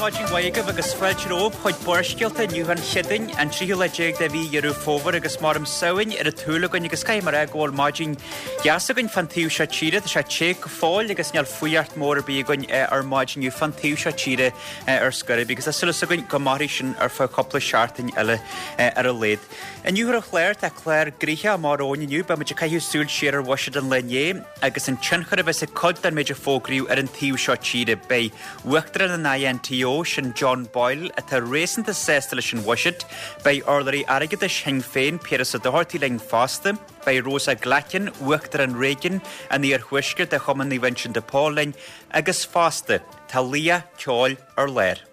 maidin mhaith agaibh agus fáilte romhaibh chuig Barrscéalta inniu an Chéadaoin, an tríú lá déag de mhí Dheireadh Fómhair agus maram Samhain ar an tsúil againn agus caithfidh mé a rá go bhfuil maidin dheas againn fán taobh seo tíre. Tá sé te go fóill agus níl fuireacht mór ar bith againn ar maidin inniu fán taobh seo tíre ar scor ar bith agus tá súil againn go mairfidh sin ar feadh cúpla seachtain eile ar a laghad. Inniu ar an chlár tá clár gnoitheach amach romhainn inniu. Beidh muid ag caitheamh súil siar ar bhuiséad an lae inné. agus an tionchar a bheas ag cuid den méid a fógraíodh ar an taobh seo tíre. Beidh Uachtarán an INTO, sin John Boyle, atá réasúnta sásta leis an bhuiséad. Beidh urlabhraí airgeadais Shinn Féin, Piaras Ó Dochartaigh linn fosta. Beidh Rosa Glackin, Uachtarán Réigiún an Iarthuaiscirt de Chumann Naomh Uinseann de Pól linn agus fosta, tá laoch ceoil ar lár.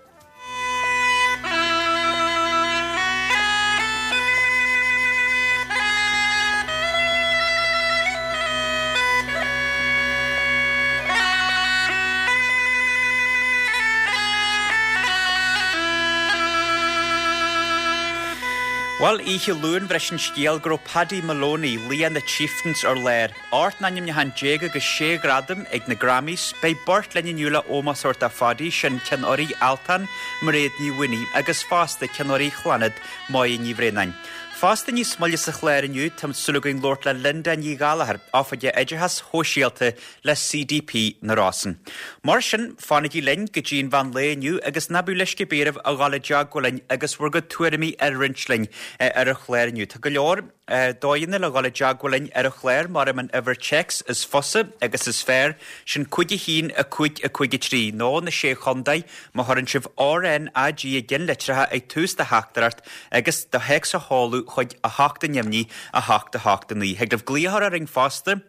Bhuel, oíche Luain bhris an scéal go raibh Paddy Moloney, laoch na Chieftains ar lár. 18 n-ainmniúchán agus 6 ghradam ag na Grammys. Beidh beirt linn inniu le ómós a thabhairt do Phaddy, sin Ceann Urraí Altan, Mairéad Ní Mhaonaigh, agus fosta Ceann Urraí Chlannad, Máire Ní Bhraonáin. Fosta níos moille sa chlár inniu, tá súil againn labhairt le Linda Ní Ghallachair, Oifigeach Oideachais Shóisialta le CDP na Rosann. Mar sin, fanaigí linn go dtí an mheán lae inniu agus ná bíodh leisce ar bith oraibh a dhul i dteagmháil linn agus bhur gcuid tuairimí a roinnt linn ar an chlár inniu. Tá go leor. Dóigheanna le dhul i dteagmháil linn ar an chlár, maram an uimhir téacs is fusa agus is fearr, sin 5 1 5 5 3, nó na Sé Chontae, má chuireann sibh RNAG i gceannlitreacha ag tús do theachtaireacht agus do théacs a sheoladh chuig 8 ainmnigh 8 8 9. Thig libh glaoch a chur orainn fosta.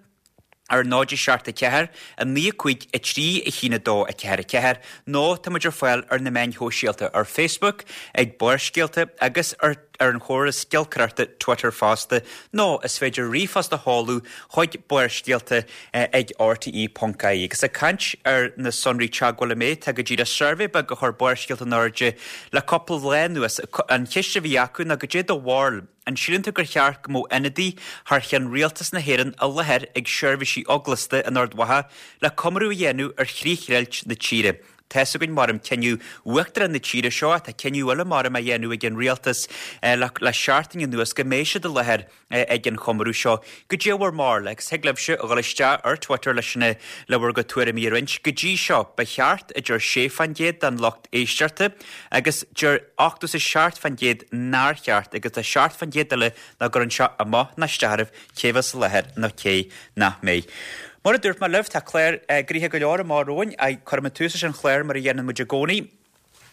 ar 0 7 4 9 5 3 1 2 4 4 nó tá muid ar fáil ar na meáin shóisialta ar Facebook ag Barrscéalta agus ar ar an chóras giolcaireachta Twitter fosta nó is féidir ríomhphost a sheoladh chuig barrscéalta ag rte.ie. Agus ag caint ar na sonraí teagmhála mé, tá go díreach suirbhé beag a chuir Barrscéalta in airde le cúpla lá anuas. An cheist a bhí acu ná goidé do bharúil. An síleann tú gur cheart go mbeadh ionadaí thar cheann Rialtas na hÉireann i láthair ag seirbhísí eaglasta in Ard Mhacha le comóradh a dhéanamh ar chríochdheighilt na tíre? Tá's againn maram cinneadh Uachtarán na tíre seo ach tá cinneadh eile maram á dhéanamh ag an Rialtas le seachtain anuas go mbeidh siad i láthair ag an chomóradh seo. Goidé bhur mbarúil agus thig libhse a dhul isteach ar Twitter leis na le bhur gcuid tuairimí a roinnt. Go dtí seo, ba cheart, a deir 6 fán gcéad den lucht éisteachta agus deir 87% nár cheart agus tá 7% eile nach gcuireann sé amach ná isteach orthu cé bheas i láthair nó cé nach mbeidh. Mar a dúirt mé libh, tá clár gnoitheach go leor amach romhainn. Cuirfidh muid tús leis an chlár mar a dhéanann muid i gcónaí,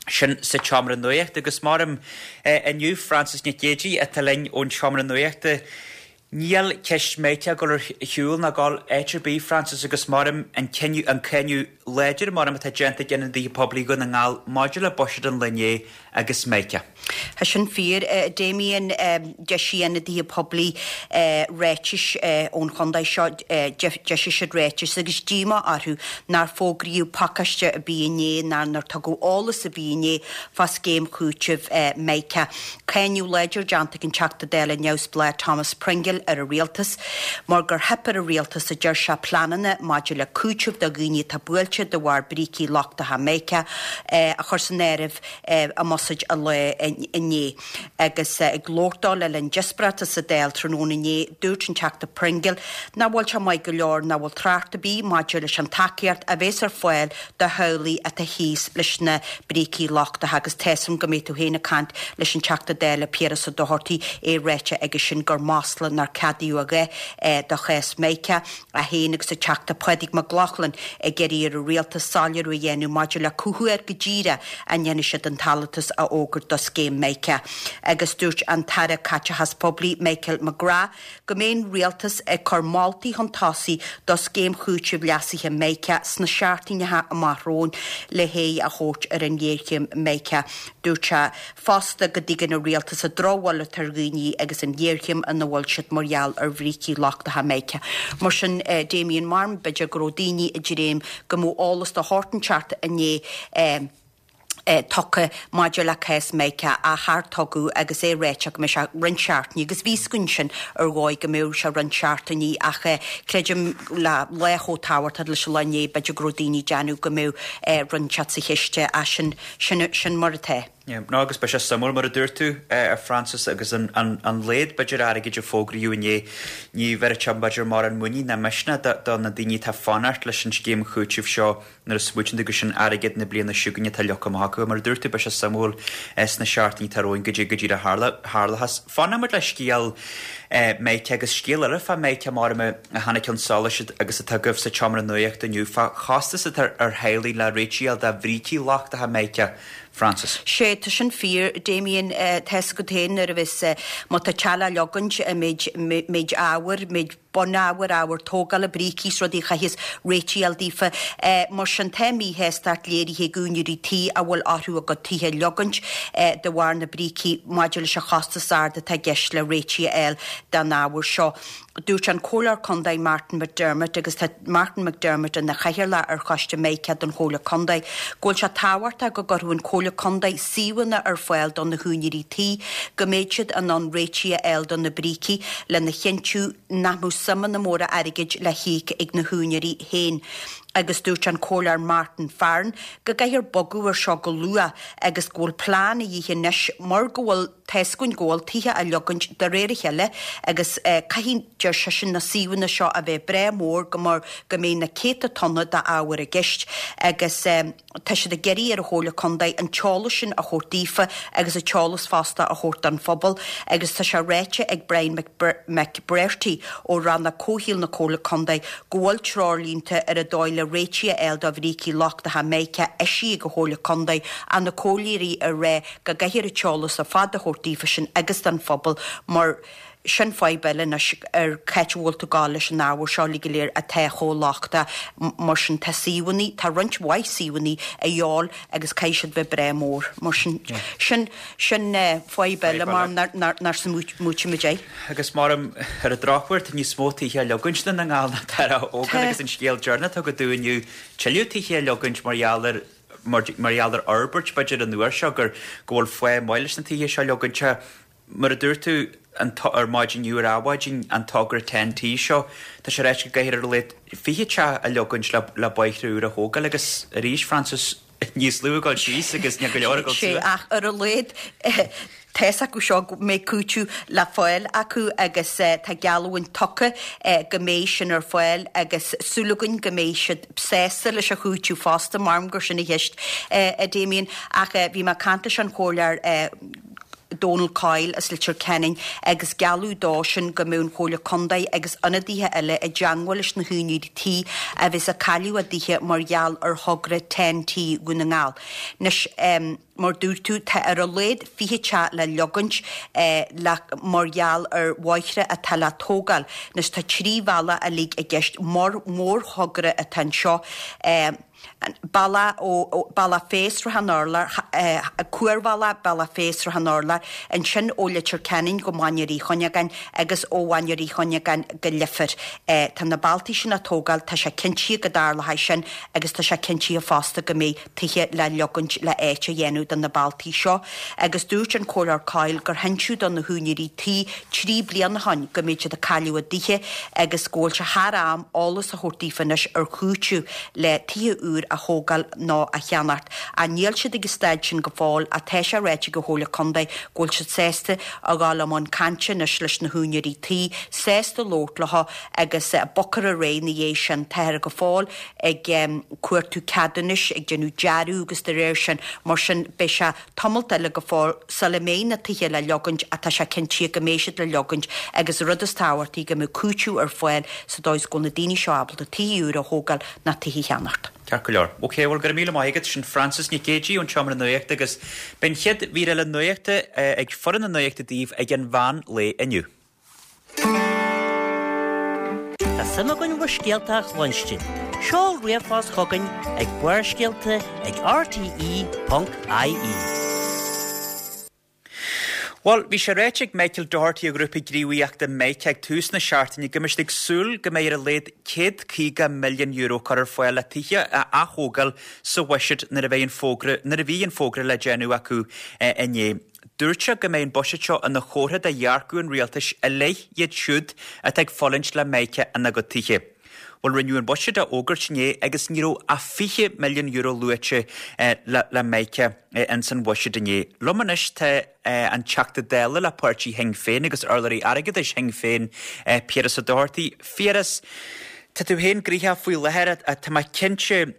sin sa tseomra nuachta agus maram inniu Frances Nic Géadaigh atá linn ón tseomra nuachta. Níl ceist Meica ag dul ar shiúl ná ag dul áit ar bith, Frances, agus maram an cinneadh, an cáineadh láidir maram atá déanta ag ionadaithe poiblí Dhún na nGall maidir le buiséad an lae inné agus Meica. Tá sin fíor, a Damien. D'eisigh ionadaithe poiblí ráitis ón chontae seo, d'eisigh siad ráitis agus díomá orthu nár fógraíodh pacáiste ar bith inné ná nár tugadh eolas ar bith inné fá scéim chúitimh Meica. Cáineadh láidir déanta ag an Teachta Dála neamhspleách Thomas Pringle ar an Rialtas mar gur theip ar an Rialtas, a deir sé, pleananna maidir le cúiteamh do dhaoine atá buailte de bharr brící lochtacha Meica a chur san áireamh i mbuiséad an lae inné. Agus ag labhairt dó le linn díospóireachta sa Dáil tráthnóna inné, dúirt an Teachta Pringle nach bhfuil sé maith go leor nach bhfuil trácht ar bith maidir leis an tacaíocht a bheas ar fáil do theaghlaigh atá thíos leis na brící lochtacha agus tá 'fhios a'm go mbeidh tú féin ag caint leis an Teachta Dála Piaras Ó Dochartaigh, é ráite aige sin gur masla nár ceadaíodh a dhath do chás Meica, é féin agus an Teachta Pádraig Mac Lochlainn ag iarraidh ar an Rialtas soiléiriú a dhéanamh maidir le cá huair go díreach a ndéanfaidh siad an t-allúntas a fhógairt do scéim Meica. Agus dúirt an tAire Caiteachais Poiblí Michael McGrath go mbeidh an Rialtas ag cur moltaí chun tosaigh do scéim chúitimh leasaithe Meica sna seachtaineacha amach romhainn le haghaidh a thabhairt ar an ghéarchéim Meica. Dúirt sé fosta go dtuigeann an Rialtas an drochbhail atá ar dhaoine agus an ghéarchéim ina bhfuil siad mar gheall ar bhrící lochtacha Meica. Mar sin, Damien, maram b'fhéidir go raibh daoine ag dréim go mbeadh eolas de shórt inteacht inné. Tugtha maidir le cás Micah ach char tugadh agus é ráite go mbeidh sé roinnt seachtainí agus bhí fhios againn sin ar dhóigh go mbeadh sé roinnt seachtainí ach creidim le lá chomh tábhachtach leis an lá inné b'fhéidir go raibh daoine ag déanamh go mbeadh rud inteacht sa chiste ach sin sin sin mar atá. Yeah, no agus beidh sé suimiúil mar a dúirt tú a Frances agus an an an laghad b'fhéidir airgid a fógraíodh inné ní bhéarfaidh sé b'fhéidir mórán muinín ná misneach do do na daoine atá ag fanacht leis an scéim chúitimh seo Nuair a smaoitíonn tú gur sin airgead na bliana seo chugainn atá leagtha amach acu, mar a dúirt tú, beidh sé suimiúil sna seachtainí atá romhainn goidé go díreach a tharlóchas. Fanfaidh muid le scéal Micah agus scéal eile fá Micah mar a tháinig chun solais agus atá agaibh sa tseomra nuachta inniu fá chostas atá ar theaghlaigh le réitigh a fháil do bhrící lochtacha Micah. Frances. Sé, tá sin fíor, Damien, tá fhios agat féin nuair a bheas, má tá teach le leogaint, an méid, méid ábhair, méid bunábhair, ábhar tógála, brící is rudaí a chaithfeas réitigh a fháil daofa. Mar sin, tá míshástacht léirithe ag úinéirí tí a bhfuil orthu a gcuid tithe a leogaint de bharr na brící maidir leis an chostas ard atá i gceist le réitigh a fháil don ábhar seo. Dúirt an Comhairleoir Contae Martin McDermott, agus tá Martin McDermott ina chathaoirleach ar Choiste Micah don Chomhairle Contae, go bhfuil sé tábhachtach go gcuirfeadh an Chomhairle Contae suíomhanna ar fáil do na húinéirí tí go mbeidh siad in ann réitigh a fháil do na brící lena chinntiú nach mbeadh suimeanna móra airgid le híoc ag na húinéirí féin agus dúirt an Comhairleoir Martin Farren go gcaithfear bogadh ar seo go luath agus go bhfuil plean a dhíth anois mar go bhfuil tá fhios againn go bhfuil tithe á leogaint de réir a chéile agus caithfidh, deir seisean, na suíomhanna seo a bheith breá mór go mar go mbeidh na céadta tonna d'ábhar i gceist agus. Tá siad ag iarraidh ar an Chomhairle Contae an t-eolas sin a thabhairt daofa agus an t-eolas fosta a thabhairt don phobal agus tá sé ráite ag Brian McBrearty ó Rannóg Comhshaoil na Comhairle Contae go bhfuil treoirlínte ar an dóigh le réitigh a fháil do bhrící lochtacha Mica eisithe ag an Chomhairle Contae ach na comhairleoirí ag rá go gcaithfear an t-eolas ar fad a thabhairt daofa sin agus don phobal mar Sin fadhb eile anois ar c'áit a bhfuil tú ag gabháil leis an ábhar seo uilig go léir atá chomh lochtach mar sin. Tá suíomhanna, tá roinnt mhaith suíomhanna a dhíobháil agus caithfidh siad bheith breá mór mar sin. Sin, sin fadhb eile mar nár smaoitigh muid air. Agus mar ar an drochuair tá níos mó tithe á leogaint i nDún na nGall ná atá á thógáil agus an scéal deireanach atá againn inniu, tuilleadh tithe á leogaint mar gheall ar, mar gheall ar fhorbairt b'fhéidir an uair seo gur, go bhfuil fáth maith leis na tithe seo a leogaint. Mar a dúirt tú an ar maidin inniu ar Adhmhaidin, an togra Ten T seo, tá sé ráite go gcaithfear ar a laghad 20 teach a leogaint le le bóithre úra a thógáil agus arís, Frances, níos lú ag dul síos agus níl go leor ag dul suas. Ach ar a laghad tá fhios acu seo go mbeidh cúiteamh le fáil acu agus tá geallúint tugtha go mbeidh sin ar fáil agus súil againn go mbeidh siad sásta leis an chúiteamh fosta, maram gur sin an cheist, a Damien. Ach bhí mé ag caint leis an Chomhairleoir Donal Coyle as Leitir Ceanainn agus gealladh dó sin go mbeadh an Chomhairle Contae agus ionadaithe eile i dteangmháil leis na húinéirí tí a bheas ag cailleadh a dtithe mar gheall ar thogra Ten T Dhún na nGall. Anois, mar dúirt tú, tá ar a laghad 20 teach le leogaint le mar gheall ar bhóithre atá le tógáil. Anois, tá 3 bhealach uilig i gceist, mórthogra atá anseo. Bealach ó Bealach Féich Srath an Urláir, cuarbhealach Bealach Féich Srath an Urláir, ansin ó Leitir Ceanainn go Mainéar Uí Chuinneagáin agus ó Mhainéar Uí Chuinneagáin go Leifear. Tá na bealtaí sin á tógáil, tá sé cinntithe go dtarlóidh sin agus tá sé cinntithe fosta go mbeidh tithe le leogaint le áit a dhéanamh do na bealtaí seo. Agus dúirt an Comhairleoir Coyle gur hinseadh do na húinéirí tí 3 bliana ó shin go mbeidh siad ag cailleadh a dtithe agus go bhfuil sé thar am eolas a thabhairt daofa anois ar chúiteamh le tithe úr a thógáil nó a cheannacht. Ach níl siad ag an staid sin go fóill ach tá sé ráite ag an Chomhairle Contae go bhfuil siad sásta a ghabháil i mbun cainte anois leis na húinéirí tí, sásta labhairt leo agus bogfar ar aghaidh ina dhiaidh sin. Táthar go fóill ag cuartú ceadúnais, ag déanamh dearadh agus de réir sin, mar sin beidh sé tamalt eile go fóill sula mbeidh na tithe le leogaint ach tá sé cinntithe go mbeidh siad le leogaint agus an rud is tábhachtaí go mbeidh cúiteamh ar fáil sa dóigh is go bhfuil na daoine seo ábalta tithe úra a thógáil ná tithe a cheannacht. Ceart go leor. Ok, bhuel go raibh míle maith agat. Sin Frances Nic Géadaigh ón tSeomra Nuachta agus beidh an chéad mhír eile nuachta ag foireann na nuachta daoibh ag an mheán lae inniu. Tá suim againn bhur scéalta a chluinstin. Seol ríomhphost chugainn ag barrscéalta ag rte.ie. Bhuel, bhí sé ráite ag Michael Doherty ó ghrúpa gníomhaíochta Mica ag tús na seachtaine go mbeidh siad ag súil go mbeidh ar a laghad €150 milliún curtha ar fáil le tithe a ath-thógáil sa bhuiséad nuair a bheidh an fógra nuair a bhí an fógra le déanamh acu inné. Dúirt sé go mbeidh an buiséad seo ina chomhartha de dhearcadh an rialtais i leith iad siúd atá ag fulaingt le Mica ina gcuid tithe. Bhuel, rinneadh an buiséad a fhógairt inné agus ní raibh ach €20 milliún luaite le Mica ins an bhuiséad inné. Liom anois tá an Teachta Dála le páirtí Shinn Féin agus urlabhraí airgeadais Shinn Féin, Piaras Ó Dochartaigh. Phiaras, tá tú féin gnoitheach faoi láthair, tá mé cinnte,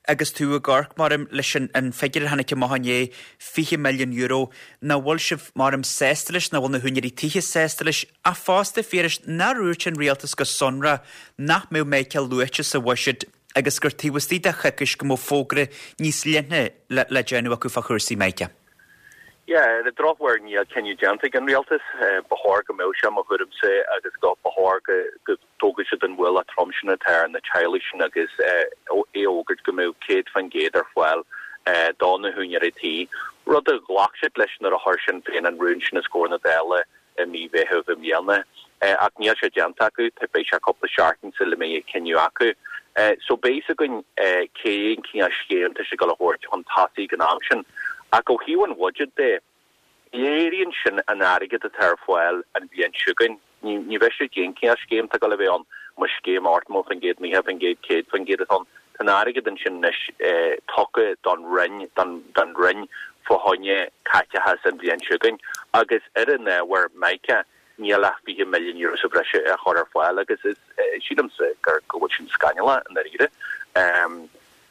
agus tú ag amharc, maram, leis an figiúr a tháinig amach inné, €20 milliún, nach bhfuil sibh, maram, sásta leis, nach bhfuil na húinéirí tithe sásta leis, ach fosta, Phiarais, nár dhúirt an rialtas go sonrach nach mbeadh Mica luaite sa bhuiséad agus gur taobh istigh de choicís go mbeadh fógra níos leithne le déanamh acu fá chúrsaí Mica? Yeah, ar an drochuair níl cinneadh déanta ag an rialtas. Ba chóir go mbeadh sé, mo thuairimse, agus go ba chóir go dtógfadh siad an ualach trom sin atá ar na teaghlaigh sin agus é a fhógairt go mbeadh 100% ar fáil do na húinéirí tí, rud a ghlac siad leis nuair a chuir Sinn Féin an rún sin os comhair na Dála i mí Mheithimh i mbliana. Ach níl sé déanta acu, beidh sé cúpla seachtain sula mbeidh an cinneadh acu. So beidh fhios againn cén cineál scéim atá siad ag dul a thabhairt chun tosaigh ag an am sin. Ach ó thaobh an bhuiséid de, léiríonn sin an airgead atá ar fáil an bhliain seo chugainn. Ní bheidh sé cén cineál scéim atá ag dul a bheith ann, más scéim 80%, 90%, 100% atá ann. Tá an airgead ansin anois tugtha don Roinn, don Roinn fá choinne caiteachas an bhliain seo chugainn agus ar an ábhar Mica níl ach €20 milliún sa bhreis á chur ar fáil agus is sílimse gur go bhfuil sin scannalach i ndáiríre.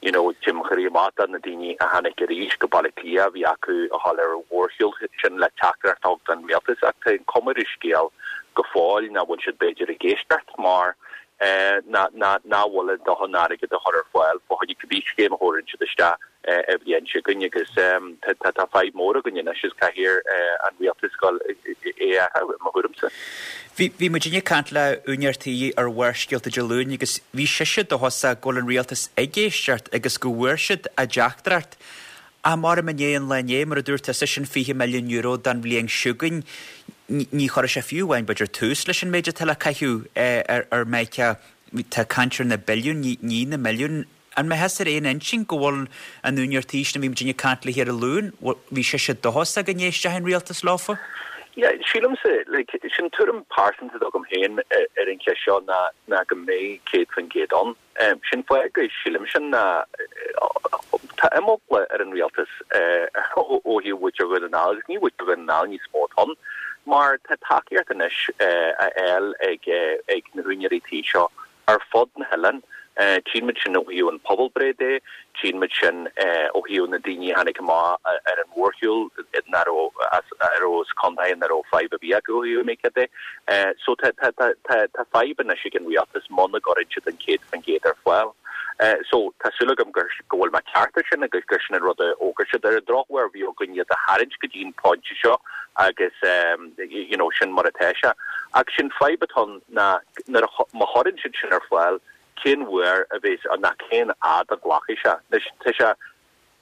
You know, téim mo chroí amach do na daoine a tháinig arís go Baile Átha Cliath, a bhí acu a dhul ar an mhórshiúl sin le teachtaireacht a thabhairt don rialtas ach tá an cuma ar an scéal go fóill nach bhfuil siad b'fhéidir ag éisteacht mar nach bhfuil a ndóthain airgid a chur ar fáil fá choinne cibé scéim a thabharann siad isteach an bhliain seo chugainn agus tá fadhb mór againn anois is caithfidh an rialtas dul é a athrú, i mo thuairimse. Bhí, bhí muidinne ag caint le úinéir tí ar Bharrscéalta Dé Luain agus bhí sise dóchasach go bhfuil an rialtas ag éisteacht agus go bhfuair siad a dteachtaireacht. Ach maram i ndiaidh an lae inné, mar a dúirt tusa, sin €20 milliún don bhliain seo chugainn, ní chuirfidh sé fiú amháin b'fhéidir tús leis an méid atá le caitheamh ar Mica. Tá caint ar na billiúin, ní na milliúin. An mbeifeá ar aon intinn go bhfuil an úinéir tí sin a bhí muidinne ag caint léi ar an Luan, bhí sise dóchasach go n-éistfeadh an rialtas leofa? Yeah, sílimse, like, sin tuairim pearsanta agam féin ar an cheist seo ná ná go mbeidh 100% ann. Sin fáth go sílim sin ná tá imeagla ar an rialtas ó thaobh mhuintir Dhún na nGall agus ní mhuintir Dhún na nGall níos mó atá ann mar tá tacaíocht anois á fháil ag ag na húinéirí tí seo ar fud na hoileáin. Tchíonn muid sin ó thaobh an pobalbhreith de, tchíonn muid sin ó thaobh na daoine a tháinig amach ar an mhórshiúl nach raibh as a raibh as contaetha nach raibh fadhb ar bith acu ó thaobh Mica de. So tá tá tá tá tá fadhb anois ag an rialtas muna gcuireann siad an 100% ar fáil. So tá súil agam gur go bhfuil mé ceart ar sin agus gur sin an rud a fhógair siad. Ar an drochuair bhí againn iad a tharraingt go dtí an pointe seo agus you know sin mar atá sé. Ach sin fadhb atá ann ná nuair a, má chuireann siad sin ar fáil, cén uair a bheas, ná cén fhad a ghlacfaidh sé. Anois, tá sé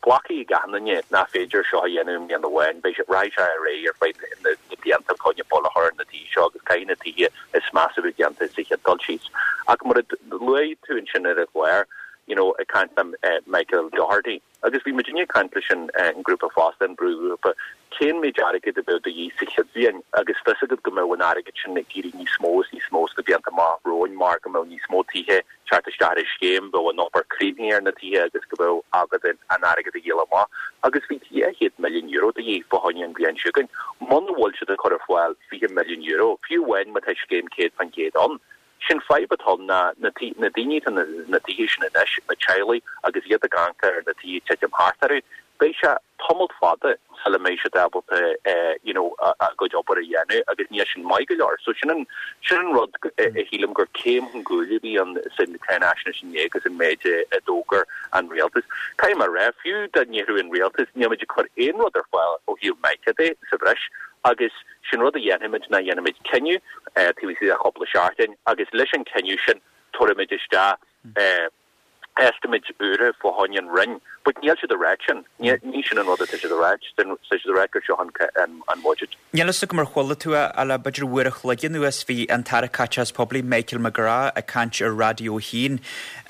glactha ag achan duine nach féidir seo a dhéanamh i mbliain amháin, beidh sé, rachaidh sé ar aghaidh ar feadh na blianta fá choinne bail a chur ar na tithe seo agus caithfidh na tithe is measa a bheith déanta sa chéad dul síos. Ach mar a luaigh tú ansin ar an gclár, you know, ag caint le Michael Doherty, Agus bhí muidinne ag caint leis an ngrúpa fosta, an brúghrúpa, cén méid airgid a bheadh de dhíth sa chéad bhliain agus fios agat go mbeadh an airgead sin ag éirí níos mó is níos mó sna blianta amach romhainn mar go mbeadh níos mó tithe ag teacht isteach ar an scéim, bheadh an obair críochnaithe ar na tithe agus go mbeadh agat an airgead a dhíol amach. Agus bhí €200 milliún de dhíth fá choinne an bhliain seo chugainn. Muna bhfuil siad ag cur ar fáil €20 milliún, fiú amháin má tá scéim 100% ann, Sin fadhb atá ann ná na na daoine atá na tithe sin anois, na teaghlaigh, agus iad ag amharc ar na tithe titim thart orthu, beidh sé tamall fada sula mbeidh siad ábalta you know a gcuid obair a dhéanamh agus níl sin maith go leor. So sin an sin an rud a shílim gur céim chun cúil a bhí ann sa cháinaisnéis inné agus an méid a d'fhógair an rialtas. Caithfidh mé a rá, fiú dá ndéarfadh an rialtas, níl muid ag cur aon rud ar fáil ó thaobh Mica de sa bhreis agus Sin rud a dhéanfaimid ná dhéanfaimid cinneadh taobh istigh de chúpla seachtain agus leis an cinneadh sin tabharfaimid isteach. Estimates úra fá choinne an Roinn, but níl siad ag ráit sin. Ní sin an rud atá siad ag ráit. Tá siad ag ráit gur seo an budget. Níl fhios agam ar chuala tú é, ach le b'fhéidir uair a chloig anuas bhí an tAire Caiteachais Poiblí Michael McGrath ag caint ar Raidió 1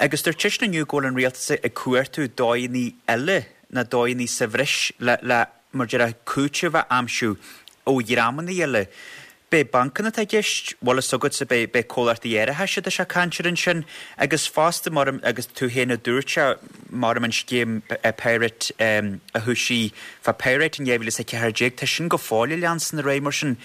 agus dúirt seisean inniu go bhfuil an rialtas ag cuartú dóigheanna eile ná dóigheanna sa bhreis le le mar déarfá cúiteamh a aimsiú ó dhreamanna eile. B'é bancanna atá i gceist, bhfuil fhios agatsa, b'é, b'é comhlachtaí árachais atá sé ag caint air ansin agus fosta maram, agus tú féin a dúirt sé, maram an scéim Pirate a thoisigh fá Pirate in 2014, tá sin go fóill ag leanstan ar aghaidh mar sin.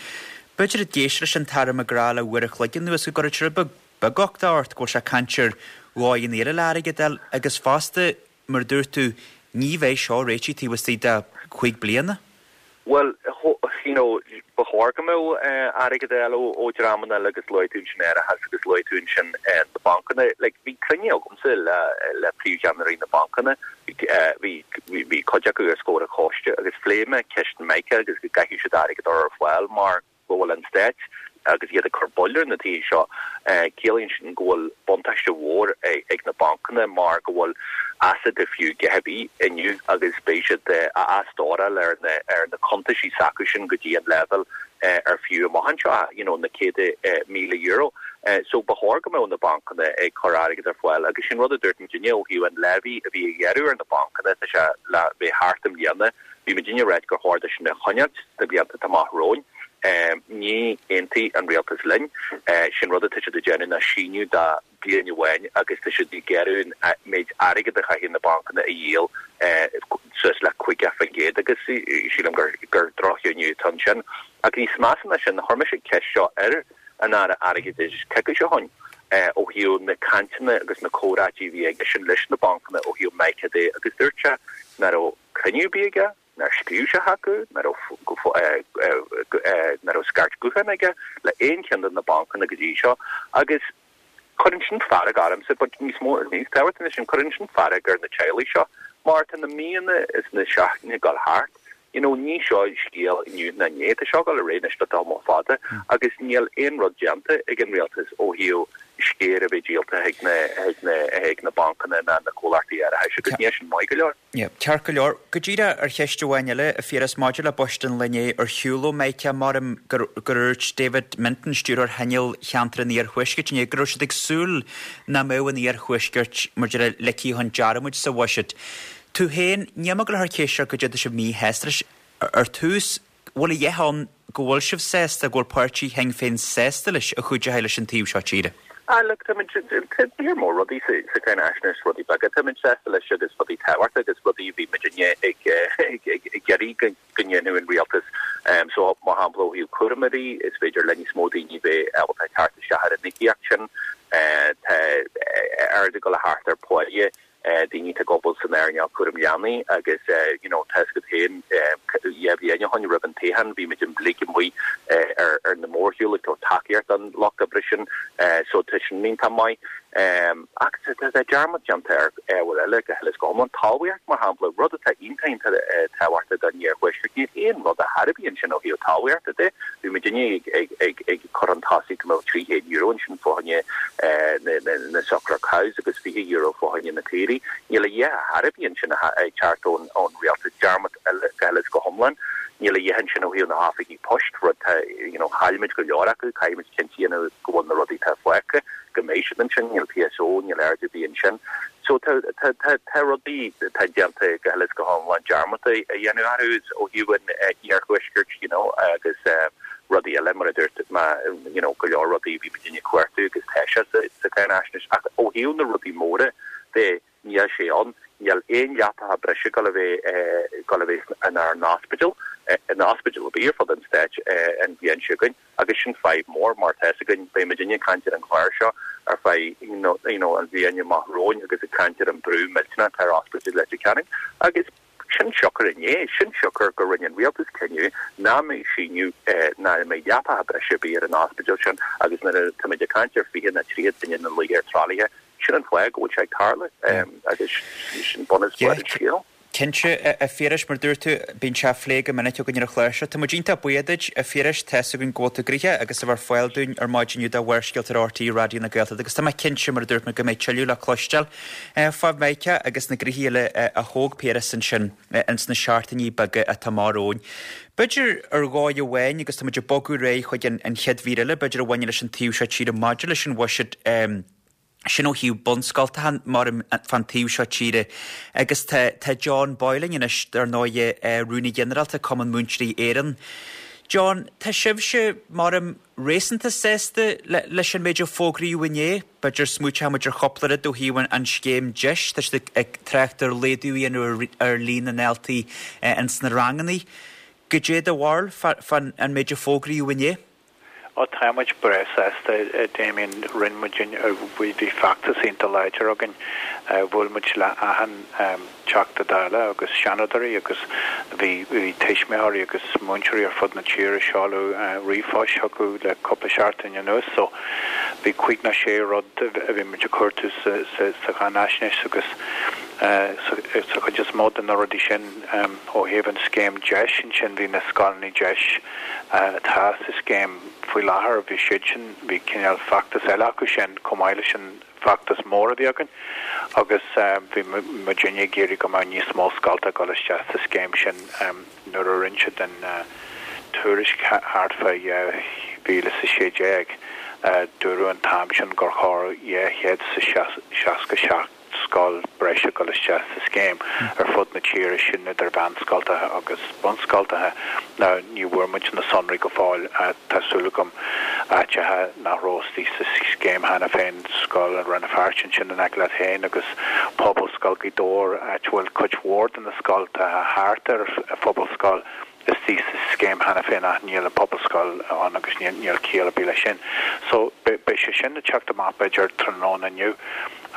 B'fhéidir ag éisteacht leis an tAire McGrath le uair a chloig anuas go gcuirfeadh sé rud beag beag uchtaigh ort go bhfuil sé ag caint ar dhóigheanna eile le airgead a fháil agus fosta Mar a dúirt tú, ní bheidh seo réitithe taobh istigh de chúig bliana. Bhuel, you know, ba chóir go mbeadh airgead a fháil ó dhreamanna eile agus luaigh tú ansin árachas agus luaigh tú ansin na bancanna. Like, bhí cruinniú agamsa le le príomhcheannairí na bancanna, bhí bhí cuid acu os comhair an choiste agus phléigh mé ceist MiCA agus go gcaithfidh siad airgead a chur ar fáil mar, go bhfuil an Stát agus iad ag cur buille ar na tithe seo, ciallaíonn sin go bhfuil buntáiste mhór ag na bancanna mar go bhfuil asset ar fiú a dhath ar bith inniu agus beidh siad á athstóráil ar na ar na cuntaisí s'acu sin go dtí an leibhéal ar fiú amach anseo, you know, na céadta míle euro. So ba chóir go mbeadh na bancanna ag cur airgead ar fáil agus sin rud a dúirt muidinne ó thaobh an levy a bhí á ghearradh ar na bancanna, tá sé le bheith thart i mbliana, Bhí muidinne ag ráit gur chóir dó sin a choinneáilt sna blianta atá amach romhainn. Níor aontaigh an rialtas linn. Sin rud atá siad ag déanamh ná síneadh de bliain amháin agus tá siad ag gearradh an méid airgid a chaithfidh na bancanna a dhíol suas le 50% agus sílim gur gur droch-chinneadh atá ansin. Ach níos measa ná sin, chuir mise ceist seo ar an Aire Airgeadais coicís ó shin ó thaobh na cainteanna agus na comhráití a bhí aigesean leis na bancanna ó thaobh MiCA de agus dúirt sé nach raibh cruinniú ar bith aige, nár scríobh sé chucu, nach raibh scairt gutháin aige le aon cheann de na bancanna go dtí seo agus cuireann sin fearg ormsa, but níos mó, níos tábhachtaí ná sin, cuireann sin fearg ar na teaghlaigh seo mar tá na míonna is na seachtainí ag dul thart, you know, ní seo scéal inniu ná inné, tá seo ag dul ar aghaidh anois le tamall fada agus níl aon rud déanta ag an rialtas ó thaobh scéir a bheith díolta chuig na, chuig na, chuig na bancanna ná na comhlachtaí árachais agus níl sin maith go leor. Yeah, ceart go leor. Go díreach ar cheist amháin eile, a Phiarais, maidir le buiséad an lae inné ar shiúl ó Mhica, maram gur dhúirt David Minton, Stiúrthóir Choinneáil Cheantar an Iarthuaiscirt inné, go raibh siad ag súil nach mbeadh an Iarthuaiscirt, mar déarfá, ligthe chun dearmaid sa bhuiséad. Tú féin, níl mé ag dul a chur ceist ort goidé tá sibh míshásta leis. Ar tús, bhfuil a dhath ann go bhfuil sibh sásta, go bhfuil páirtí Shinn Féin sásta leis a chuideochaidh leis an taobh seo tíre? Ah look, táimid, tá lear mór rudaí sa, sa cháinaisnéis, rudaí beaga, táimid sásta leis agus rudaí tábhachtacha agus rudaí a bhí muidinne ag, ag, ag, ag iarraidh go, go ndéanfadh an rialtas. So, mar shampla, ó thaobh cúramóirí, is féidir le níos mó daoine bheith ábalta teacht isteach ar an íocaíocht sin. Tá ardú ag dul a theacht ar pháighe daoine atá ag obair san earnáil cúram leanaí agus you know tá fhios agat féin dhá bhliain ó shin roimh an toghchán bhí muid uilig amuigh ar ar na mórshiúil ag tabhairt tacaíocht don lucht oibre sin so tá sin iontach maith. Ach tá dearmad déanta ar ábhair eile go huile is go hiomlán. Talmhaíocht mar shampla, rud atá iontach iontach tábhachtach don iarthuaisceart. Níl aon rud ar chor ar bith ansin ó thaobh talmhaíochta de. Bhí muidinne ag ag cur chun tosaigh go mbeadh €300 ansin fá choinne na suckler cows agus €20 fá choinne na caoirigh. Níl a dhath ar bith ansin ag teacht ón rialtas. Dearmad eile go huile is go hiomlán. Níl a dhath ansin ó thaobh na hoifigí poist, rud tá, you know, chaill muid go leor acu, caithfidh muid cinnte a dhéanamh go bhfuil na rudaí atá fágtha, go mbeidh siad ansin. Níl PSO, níl aird ar bith ansin. So tá, tá, tá, tá rudaí atá déanta go huile is go hiomlán dearmad a dhéanamh orthu ó thaobh an iarthuaiscirt, you know, agus rudaí eile mar a dúirt mé, you know, go leor rudaí a bhí muidinne ag cuartú agus tá sé sa, sa cháinaisnéis. Ach ó thaobh na rudaí móra de, níl sé ann. Níl aon leapacha breise ag dul a bheith, ag dul a bheith inár n-ospidéil, in ospidéal ar bith ar fud an stáit an bhliain seo chugainn agus sin fadhb mhór mar tá fhios againn, beidh muidinne ag caint ar an chlár seo ar feadh, you know, an bhliain amach romhainn agus ag caint ar an brú millteanach atá ar Ospidéal Leitir Ceanainn agus sin siocair inné, sin siocair go rinne an rialtas cinneadh nach mbeidh síneadh, nach mbeidh leapacha breise ar bith ar an ospidéal sin agus nuair a táimid ag caint ar 20 nó 30 duine ina luí ar tralaithe, sin an fáth go bhfuil sé ag tarlú agus sin bunús an scéil. Cinnte, a Phiarais, mar dúirt tú, bíonn sé á phlé go minic againn ar an chlár seo. Tá muid iontach buíoch duit, a Phiarais, tá's againn go bhfuil tú gnoitheach agus a bheith ar fáil dúinn ar maidin inniu do Bharrscéalta ar RTÉ Raidió na Gaeltachta agus tá mé cinnte, mar a dúirt mé, go mbeidh tuilleadh le cloisteáil fá Mheiriceá agus na gnoithí eile a thóg Piaras ansin ins na seachtainí beaga atá amach romhainn. B'fhéidir ar dhóigh amháin, agus tá muid ag bogadh ar aghaidh chuig an chéad mhír eile, b'fhéidir a bhaineann leis an taobh seo tíre maidir leis an bhuiséad, sin ó thaobh bunscoltacha mar fán taobh seo tíre agus tá tá John Boyle linn anois dar ndóighe, Rúnaí Ginearálta Cumann Múinteoirí Éireann. John, tá sibhse mar réasúnta sásta leis an méid a fógraíodh inné? B'fhéidir smaointeoidh muid ar chúpla rud ó thaobh an scéim DEIS, tá siad ag trácht ar laghdú a dhéanamh ar líon na ndaltaí ins na ranganna. Goidé do bharúil fán an méid a fógraíodh inné? Ó tá muid breá sásta, a Damien. Rinne muid, bhí feachtas iontach láidir againn. Bhuail muid le achan Teachta Dála agus Seanadóirí agus bhí bhí tuismitheoirí agus múinteoirí ar fud na tíre ag seoladh ríomhphoist chucu le cúpla seachtain anuas. So bhí 56 rud a bhí muid ag cuartú sa sa cháinaisnéis agus sa chuid is mó de na rudaí sin ó thaobh an scéim DEIS ansin bhí na scoileanna DEIS atá sa scéim faoi láthair, bhí siad sin, bhí cineál feachtas eile acu sin chomh maith leis an bhfeachtas mór a bhí againn agus bhí muidinne ag iarraidh go mbeadh níos mó scolta ag dul isteach sa scéim sin. Nuair a rinne siad an tuairisc thart fá 2016, dúradh an t-am sin gur chóir 267 scoil breise dul isteach sa scéim ar fud na tíre, sin idir mheánscoltacha agus bunscoltacha. Now, ní bhfuair muid na sonraí go fóill. Tá súil agam áiteacha nach raibh istigh sa scéim cheana féin, scoil i Rann na Feirste ansin in aice leat féin agus Pobalscoil Ghaoth Dobhair, áit a bhfuil cuid mhór de na scoltacha thart ar an phobalscoil, istigh sa scéim cheana féin ach níl an pobalscoil ann agus níl ciall ar bith leis sin. So beidh sé sin ag teacht amach b'fhéidir tráthnóna inniu.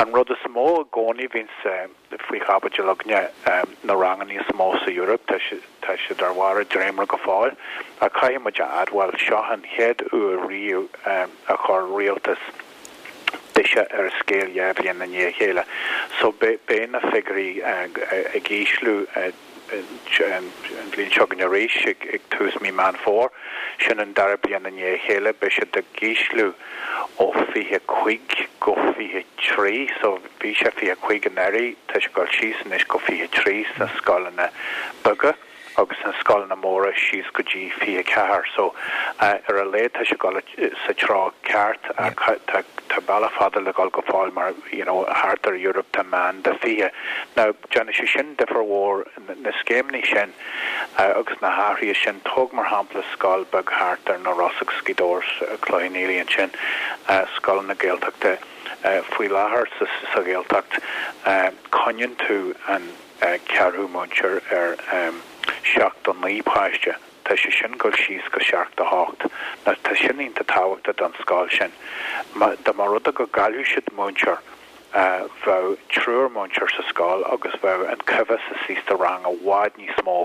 An rud is mó i gcónaí a bhíonns faoi chaibidil againne, na ranganna is mó sa Eoraip, tá tá siad ar bharr a dréimire go fóill ach caithfidh muid a admháil, seo an chéad uair riamh a chuir rialtas biseach ar an scéal 2 bhliain i ndiaidh a chéile. So beidh na figiúirí ag ísliú. an bhliain seo chugainn arís ag tús mí Meán Fómhair. Sin an dara bliain i ndiaidh a chéile. Beidh siad ag ísliú ó 25 go 23. So bhí sé 25 anuraidh, tá sé ag dul síos anois go 23 sna scoileanna beaga agus sna scoileanna móra síos go dtí 24. So ar a laghad tá sé ag dul sa treo ceart ach tá tá bealach fada le dhul go fóill mar you know thart ar Europe tá meán de 20. Now Déanfaidh sé sin difear mhór, na scéimeanna sin agus na hathruithe sin. Tóg mar shampla scoil beag thart ar na Rosa agus Gaoth Dobhair, Cloich Cheann Fhaola ansin, scoileanna Gaeltachta. Faoi láthair sa Ghaeltacht coinníonn tú an ceathrú múinteoir ar 79 páiste. Tá sé sin ag dul síos go 78. Now tá sin iontach tábhachtach don scoil sin. Dá mba rud é go gcaillfeadh siad múinteoir, bheadh triúr múinteoir sa scoil agus bheadh an coimheas istigh sa rang i bhfad níos mó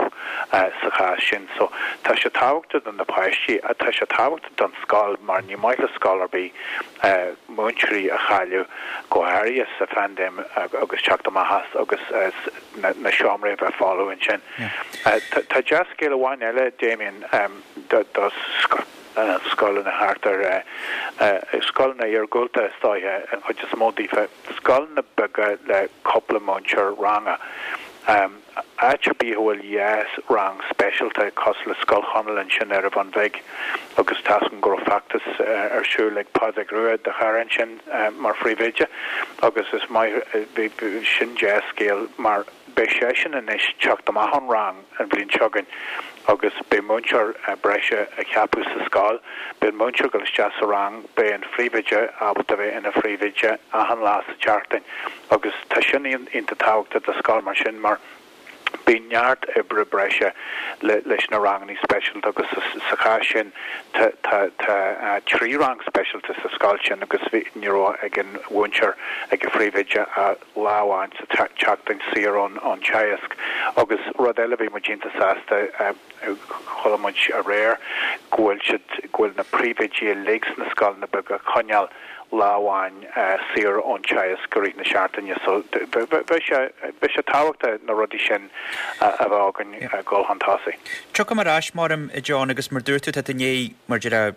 sa chás sin. So tá sé tábhachtach do na páistí ach tá sé tábhachtach don scoil mar ní maith le scoil ar bith múinteoirí a chailleadh, go háirithe sa phaindéim agus teacht amach as agus na seomraí a bheith folamh ansin. Tá dea-scéal amháin eile, Damien, do scoileanna thart ar scoileanna iargúlta is dóiche, an chuid is mó daofa, scoileanna beaga le cúpla múinteoir ranga. Áit ar bith a bhfuil dhá rang speisialta, cosúil le Scoil Chonaill ansin ar an Bhun Bhig agus tá's agam go raibh feachtas ar siúl ag Pádraig Rua, do chara ansin, mar phríomhoide agus is maith, sin dea-scéal mar beidh seisean anois teacht amach ón rang. an bhliain seo chugainn agus beidh múinteoir breise á cheapadh sa scoil. Beidh an múinteoir ag dul isteach sa rang, beidh an phríomhoide ábalta bheith ina phríomhoide achan lá sa tseachtain agus tá sin iontach tábhachtach do scoil mar sin mar bíonn neart oibre breise leis na ranganna speisialta agus sa chás sin tá tá 3 rang speisialta sa scoil sin agus ní raibh ag an mhúinteoir ag an phríomhoide ach lá amháin sa tseachtain saor ón teagasc. Agus rud eile, bhí muid iontach sásta, chuala muid aréir go bhfuil siad, go bhfuil na príomhoidí uilig sna scoileanna beaga ag coinneáil. lá amháin saor ón teagasc i rith na seachtaine so beidh sé beidh sé tábhachtach na rudaí sin a bheith againn ag dul chun tosaigh. Tiocfaidh mé ar ais, maram, a John, agus mar dúirt tú, tá tú i ndiaidh, mar déarfá,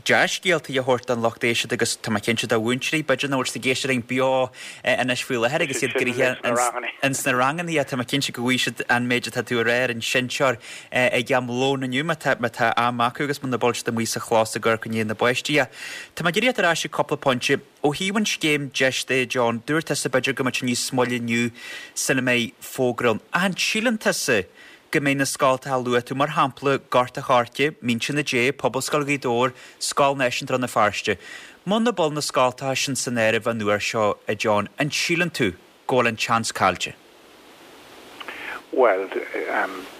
dea-scéalta a thabhairt don lucht éisteachta agus tá mé cinnte do mhúinteoirí, b'fhéidir nach bhfuil siad ag éisteacht linn beo anois faoi láthair agus iad gnoitheach ins na ranganna, tá mé cinnte go bhfaighidh siad an méid atá tú a rá ar an seinnteoir ag am lóin inniu má tá má tá am acu agus muna bhfuil siad amuigh sa chlós ag amharc i ndiaidh na bpáistí. Tá mé ag iarraidh teacht ar ais ag cúpla pointe. Ó thaobh an scéim deis de, John, dúirt tusa b'fhéidir go mbeadh sé níos moille inniu sula mbeidh fógra ann. Ach an síleann tusa go mbeidh na scoltacha a luaigh tú, mar shampla, Gort a' Choirce, Mínse na Dé, Pobalscoil Ghaoth Dobhair, Scoil Náisiúnta Rann na Feirste. Muna bhfuil na scoltacha sin san áireamh an uair seo, a John, an síleann tú go bhfuil an tseans caillte? Bhuel,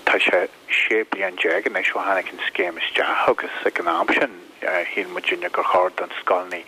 tá sé 16 bliain anois ó tháinig an scéim isteach agus ag an am sin shíl muidinne gur chóir don scoileanna,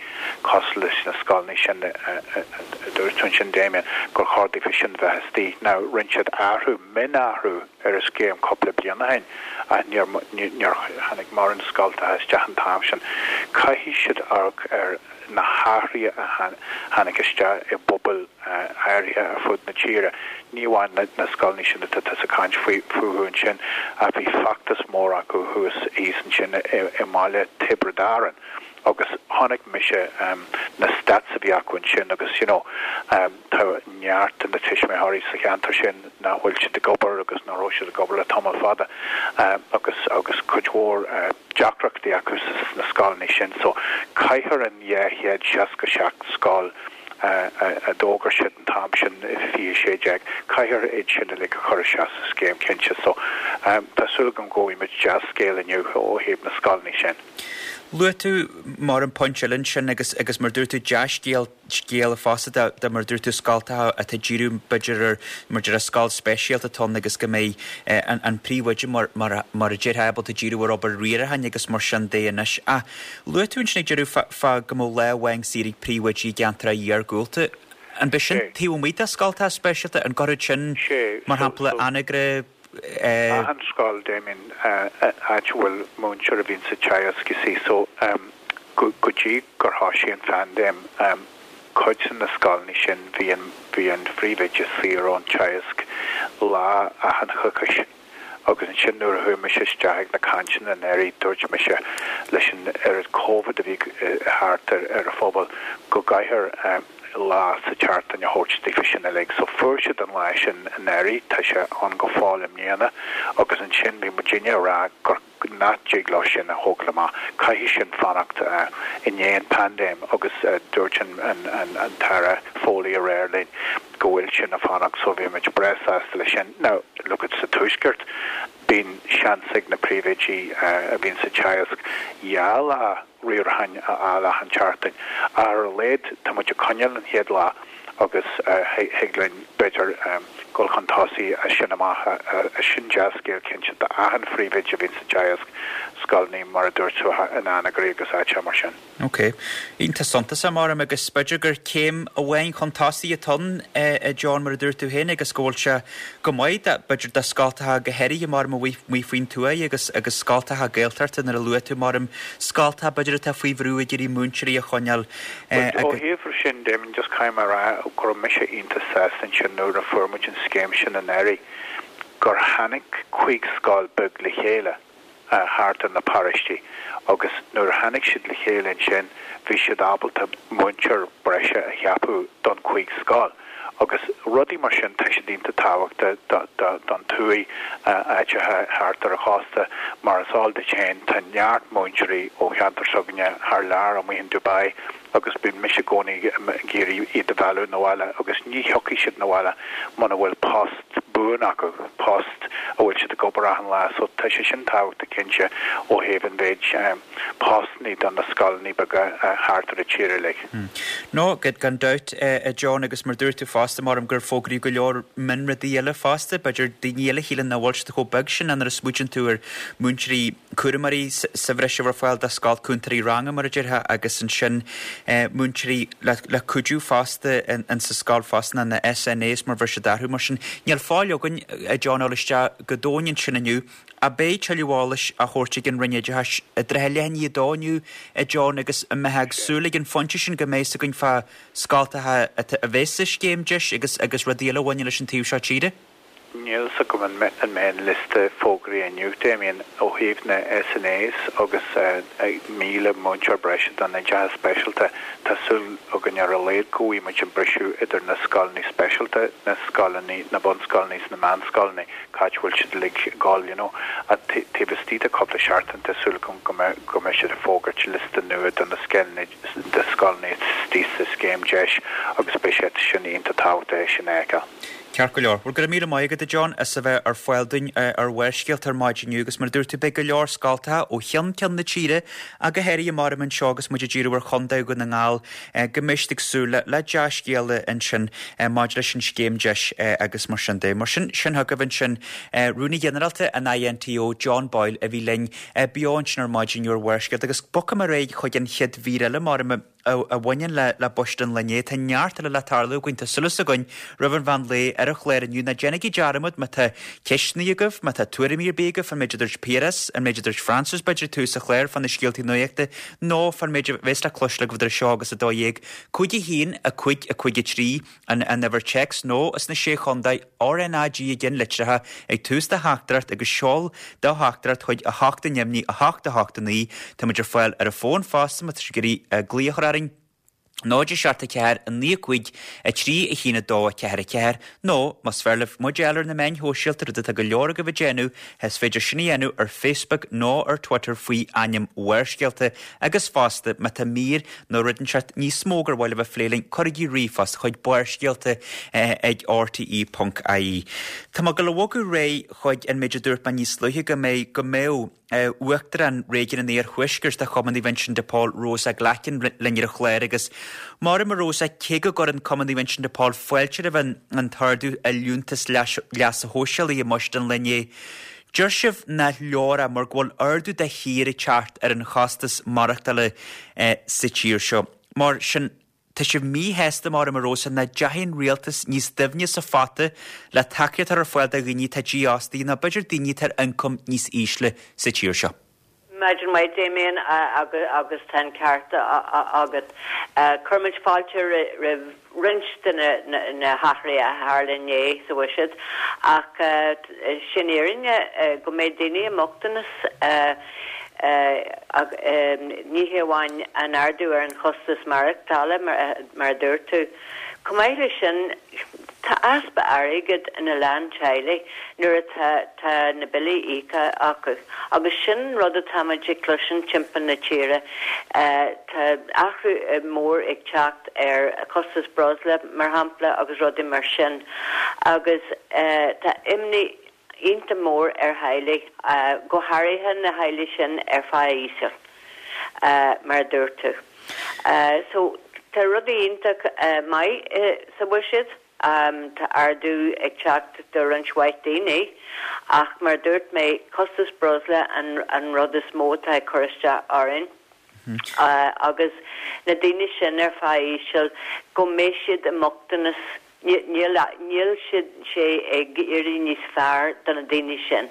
cosúil leis na scoileanna sin a dúirt tú ansin, Damien, gur chóir daofa sin bheith istigh. Now, rinne siad athrú, mionathrú ar an scéim cúpla bliain ó shin ach níor, níor tháinig mórán scoltacha isteach an t-am sin. Caithfidh siad amharc ar na hathruithe a tháinig isteach i bpobail áirithe ar fud na tíre, ní amháin na scoileanna sin atá tusa ag caint fúthu ansin, ach bhí feachtas mór acu thuas thíos ansin i mbaile Tiobraid Árann agus chonaic mise na stats a bhí acu ansin agus you know tá neart de na tuismitheoirí sa cheantar sin nach bhfuil siad ag obair agus nach raibh siad ag obair le tamall fada agus agus cuid mhór deacrachtaí acu sna scoileanna sin so caithfear an 267 scoil a d'fhógair siad an t-am sin i 2016, caithfear iad sin uilig a chur isteach sa scéim cinnte. So tá súil agam go bhfaighimid dea-scéal inniu ó thaobh na scoileanna sin. Luaigh tú mar an pointe eile ansin agus agus mar dúirt tú dea-scéal scéal fosta de de mar dúirt tú scoltacha atá ag díriú b'fhéidir ar mar deir scoil speisialta atá ann agus go mbeidh an an príomhoide mar mar mar a déarfá ábalta díriú ar obair riaracháin agus mar sin de anois. Ach Luaigh tú ansin ag deireadh fá go mbeadh lá amháin saor ag príomhoidí i gceantracha iargúlta. An b'é sin taobh amuigh de scoltacha speisialta? An gcuirfead sin, mar shampla, Anagaire, eh. Achan scoil, Damien, áit a bhfuil múinteoir a bhíonn sa teagasc, you see, so go dtí gur thoisigh an phaindéim, cuid de na scoileanna sin bhí an bhí an phríomhoide saor ón teagasc lá achan choicís. Agus ansin nuair a chuaigh mise isteach ag na cainteanna anuraidh, dúirt mise leis an oiread Covid a bhí thart ar an phobal go gcaithfear lá sa tseachtain a thabhairt daofa sin uilig. So fuair siad an lá sin anuraidh, tá sé ann go fóill i mbliana agus ansin bhí muidinne ag rá gur nach dtig leo sin a thógáil amach, caithfidh sin fanacht i ndiaidh an paindéim agus dúirt an tAire Foley aréir linn go bhfuil sin ag fanacht so bhí muid breá sásta leis sin. Now, look at sa Tuaisceart, bíonn seans ag na príomhoidí a bhíonn sa teagasc dhá lá riaracháin a fháil achan tseachtain ach ar a laghad tá muid ag coinneáil an chéad lá agus thig linn b'fhéidir dul chun tosaigh as sin amach. Sin dea-scéal cinnte d'achan phríomhoide a bhíonn sa teagasc, scoileanna mar a dúirt tú in Anagaire agus áiteacha mar sin. Ok. Iontach suntasach, maram, agus b'fhéidir gur céim amháin chun tosaigh atá ann, a John, mar a dúirt tú féin, agus go bhfuil sé go maith, b'fhéidir, do scoltacha go háirithe, maram, amuigh faoin tuaith agus agus scoltacha Gaeltachta nuair a luaigh tú, maram, scoltacha b'fhéidir atá faoi bhrú ag iarraidh múinteoirí a choinneáil Ó thaobh sin, Damien, just caithfidh mé a rá go raibh mise iontach sásta ansin nuair a fuair muid an scéim sin anuraidh gur tháinig 50 scoil beag le chéile thart ar na paróistí agus nuair a tháinig siad le chéile ansin bhí siad ábalta múinteoir breise a cheapadh don 50 scoil. Agus rudaí mar sin, tá siad iontach tábhachtach don tuaith, áiteacha thart ar an chósta. Mar is eol duit féin, tá neart múinteoirí ó cheantar s'againne thar lear, amuigh in Dubai, agus bíonn mise i gcónaí ag iarraidh iad a mhealladh 'na bhaile, agus ní thiocfaidh siad 'na bhaile muna bhfuil post buan acu, post a bhfuil siad ag obair achan lá. So tá sé sin tábhachtach cinnte ó thaobh an mhéid. postannaí do na scoileanna beaga thart ar an tír uilig. No, gan dabht, a John, agus mar dúirt tú fosta, maram gur fógraíodh go leor mionrudaí eile fosta, b'fhéidir daoine eile a shíleann nach bhfuil siad chomh beag sin, nuair a smaoitíonn tú ar múinteoirí cúramóirí sa bhreis a bhfuil ar fáil do scoil, cúntóirí ranga mar a déarfá, agus ansin múinteoirí le cuidiú fosta in sa scoil fosta, na SNAs mar a bheir siad orthu, mar sin níl fáil againn. againn, a John, a dhul isteach go domhain ansin inniu. Ach beidh tuilleadh eolais á thabhairt ag an Roinn Oideachais i dtrátha leath i ndiaidh a dó inniu, a John, agus an mbeifeá ag súil ag an phointe sin go mbeidh fhios againn fá scoltacha a bheas sa scéim deis agus agus rudaí eile a bhaineann leis an taobh seo tíre? Níl fhios agam an mbeidh an liosta fógraithe inniu, Damien, ó thaobh na SNAs agus 1,000 múinteoir breise don oideachas speisialta. Tá súil againn ar a laghad go bhfaighidh muid an briseadh idir na scoileanna speisialta, na scoileanna, na bunscoileanna is na meánscoileanna, cá háit a bhfuil siad uilig ag dul, you know. Ach taobh istigh de cúpla seachtain tá súil agam go mbeidh siad ag fógairt liosta nua do na scoileanna, de scoileanna istigh sa scéim deis agus beidh sé sin iontach tábhachtach é sin a fheiceáil. Ceart go leor. Bhuel, go raibh míle maith agat, a John, as a bheith ar fáil dúinn ar Bharrscéalta ar maidin inniu agus mar a dúirt tú, beidh go leor scoltacha ó cheann ceann na tíre ach go háirithe maram anseo agus muid ag díriú ar Chontae Dhún na nGall go mbeidh siad ag súil le dea-scéala ansin maidir leis an scéim deis agus mar sin de. Mar sin, sin chugaibh ansin Rúnaí Ginearálta an INTO, John Boyle, a bhí linn beo ansin ar maidin inniu ar Bharrscéalta agus bogfaidh mé ar aghaidh chuig an chéad mhír eile maram a bhaineann le buiséad an lae inné. Tá neart eile le tarlú againn, tá súil againn roimh an mheán lae ar an chlár inniu. Ná déanaigí dearmad má tá ceisteanna agaibh, má tá tuairimí ar bith agaibh fán méid a dúirt Piaras, an méid a dúirt Francis b'fhéidir ag tús an chláir fá na scéaltaí nuachta nó fán méid a bheas le cloisteáil agaibh idir seo agus 12, 5 1 5 5 3 an an uimhir téacs nó as na Sé Chontae, RnaG i gceannlitreacha ag tús do theachtaireacht agus seol do theachtaireacht chuig 8 neamhní 8 8 9. Tá muid ar fáil ar an bhfón fosta má tá sibh ag iarraidh glaoch a chur orainn, 0 7 4 9 5 3 1 2 4 4 nó más fearr libh muid a fháil ar na meáin shóisialta, rud atá go leor agaibh ag déanamh, is féidir sin a dhéanamh ar Facebook nó ar Twitter faoi ainm Bharrscéalta agus fosta má tá mír nó rud inteacht níos mó gur mhaith libh a phlé linn, cuirigí ríomhphost chuig barrscéalta ag rte ponc ie. Tá mé ag dul a bhogadh ar aghaidh chuig an méid a dúirt mé níos luaithe go mbeidh, go mbeadh Uachtarán Réigiún an Iarthuaiscirt de Chumann Naomh Uinseann de Pól, Rosa Glackin linn ar an chlár agus maram a Rosa, cé go gcuireann Cumann Naomh Uinseann de Pól fáilte roimh an an t-ardú i liúntas leasa shóisialaigh i mbuiséad an lae inné, Deir sibh nach leor é mar go bhfuil ardú de shíor ag teacht ar an chostas maireachtála sa tír seo. Mar sin, tá sibh míshásta, maram a Rosa, nach ndeachaigh an rialtas níos doimhne sa phota le tacaíocht a chur ar fáil do dhaoine atá dífhostaithe nó b'fhéidir daoine atá ar ioncam níos ísle sa tír seo. Maidin mhaith, Damien, agus tá an ceart agat. Cuirimid fáilte roimh roinnt de na hathruithe a tharla inné sa bhuiséad, ach sin fhírinne go mbeidh daoine i mbochtanas, ní hé amháin an ardú ar an chostas maireachtála, mar a dúirt tú. Chomh maith leis sin, tá easpa airgid ina lán teaghlaigh nuair atá tá na billí íoctha acu agus sin an rud atá muid ag cloisint timpeall na tíre. Tá athrú mór ag teacht ar chostas breosla, mar shampla, agus rudaí mar sin agus tá imní iontach mór ar theaghlaigh, go háirithe na theaghlaigh sin ar phá íseal, mar a dúirt tú. So, tá rudaí iontach maith sa bhuiséad, tá ardú ag teacht do roinnt mhaith daoine, ach mar a dúirt mé, costas breosla an rud is mó atá ag cur isteach orainn agus na daoine sin ar phá íseal, go mbeidh siad i mbochtanas Níl, níl sé ag éirí níos fearr do na daoine sin.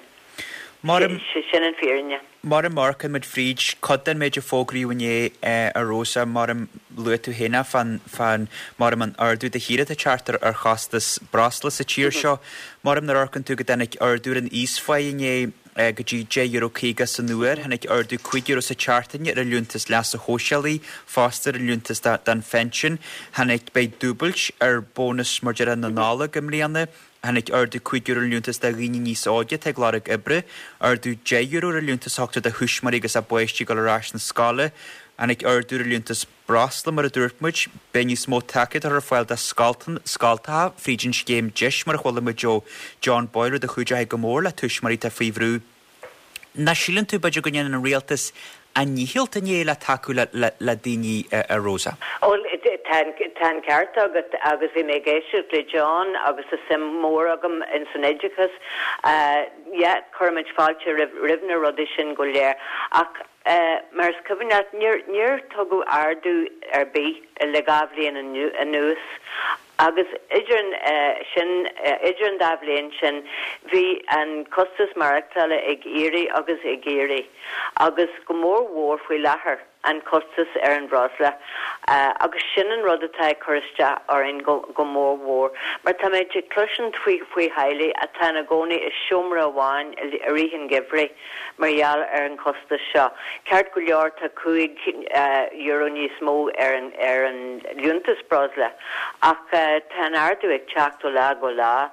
Sin an fírinne. Mar a amharcann muid fríd cuid den méid a fógraíodh inné, a Rosa, mar a luaigh tú féin é, fán, fán, maram an ardú de shíor atá ag teacht ar chostas breosla sa tír seo. Maram nuair a amharcann tú go dtáinig ardú ar an íosphá inné, go dtí €10.50 san uair. Tháinig ardú €5 sa tseachtain ar an liúntas leasa shóisialaigh, fosta ar an liúntas don phension. Tháinig, beidh dúbailt ar bónas mar déarfá na Nollag i mbliana. Tháinig ardú €5 ar an liúntas do dhaoine níos óige atá ag lorg oibre. Ardú €10 ar an liúntas a thugtar do thuismitheoirí agus a bpáistí ag dul ar ais na scoile. Tháinig ardú ar an liúntas breosla, mar a dúirt muid, beidh níos mó tacaíocht ar fáil do scoltacha fríd an scéim deis mar a chuala muid ó John Boyle, rud a chuideoidh go mór le tuismitheoirí atá faoi bhrú. Nach síleann tú, b'fhéidir, go ndéanann an rialtas a ndícheall inné le tacú le daoine, a Rosa? Bhuel, tá an ceart agat agus bhí mé ag éisteacht le John agus tá suim mhór agam ins an oideachas. Yeah, cuirimid fáilte roimh na rudaí sin go léir ach Mar is cuimhin leat, níor tugadh ardú ar bith le 2 bhliain anuas. Agus idir an sin, idir an dá bhliain sin, bhí an costas maireachtála ag éirí agus ag éirí, agus go mór mhór faoi láthair, an costas ar an bhreosla. Agus sin an rud atá ag cur isteach orainn go go mór mhór, mar táimid ag cloisint faoi faoi theaghlaigh atá ina gcónaí i seomra amháin i rith an gheimhridh mar gheall ar an chostas seo. Ceart go leor tá €5 níos mó ar an ar an liúntas breosla ach tá an ardú ag teacht ó lá go lá.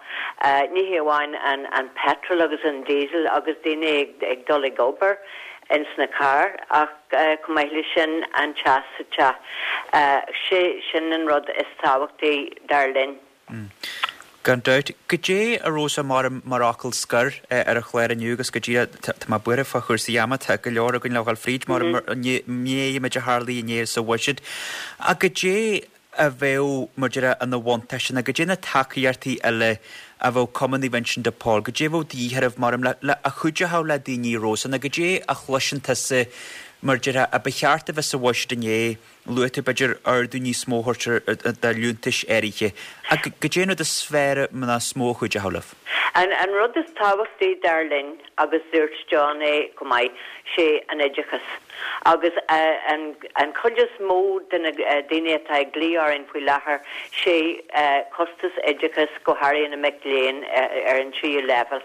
Ní hé amháin an an petrol agus an diesel agus daoine ag ag dul ag obair ins na cairr ach chomh maith leis sin an teas sa teach. Sé sin an rud is tábhachtaí dar linn. Gan dabht. Goidé, a Rosa, mar mar fhocal scoir ar an chlár inniu agus go díreach, tá mé buartha fá chúrsaí ama, tá go leor againn le dhul fríd mar an méid a tharlaigh inné sa bhuiséad. Ach goidé a bheadh, mar déarfá, ina bhuntáiste nó goidé na tacaíochtaí eile a bheadh Cumann Naomh Uinseann de Pól, goidé a bheadh de dhíth oraibh mar le a chuideochadh le daoine, Rosa, nó goidé a chloiseann tusa mar déarfá a ba cheart a bheith sa bhuiséad inné Luaigh tú, b'fhéidir, ardú níos mó a thabhairt do liúntais áirithe. Ach goidé an rud is fearr nó is mó a chuideochadh libh? An rud is tábhachtaí dar linn, agus dúirt John é go maith, sé an oideachas. Agus an chuid is mó de na daoine atá ag glaoch orainn faoi láthair, sé costas oideachais, go háirithe na mic léinn ar an tríú leibhéal.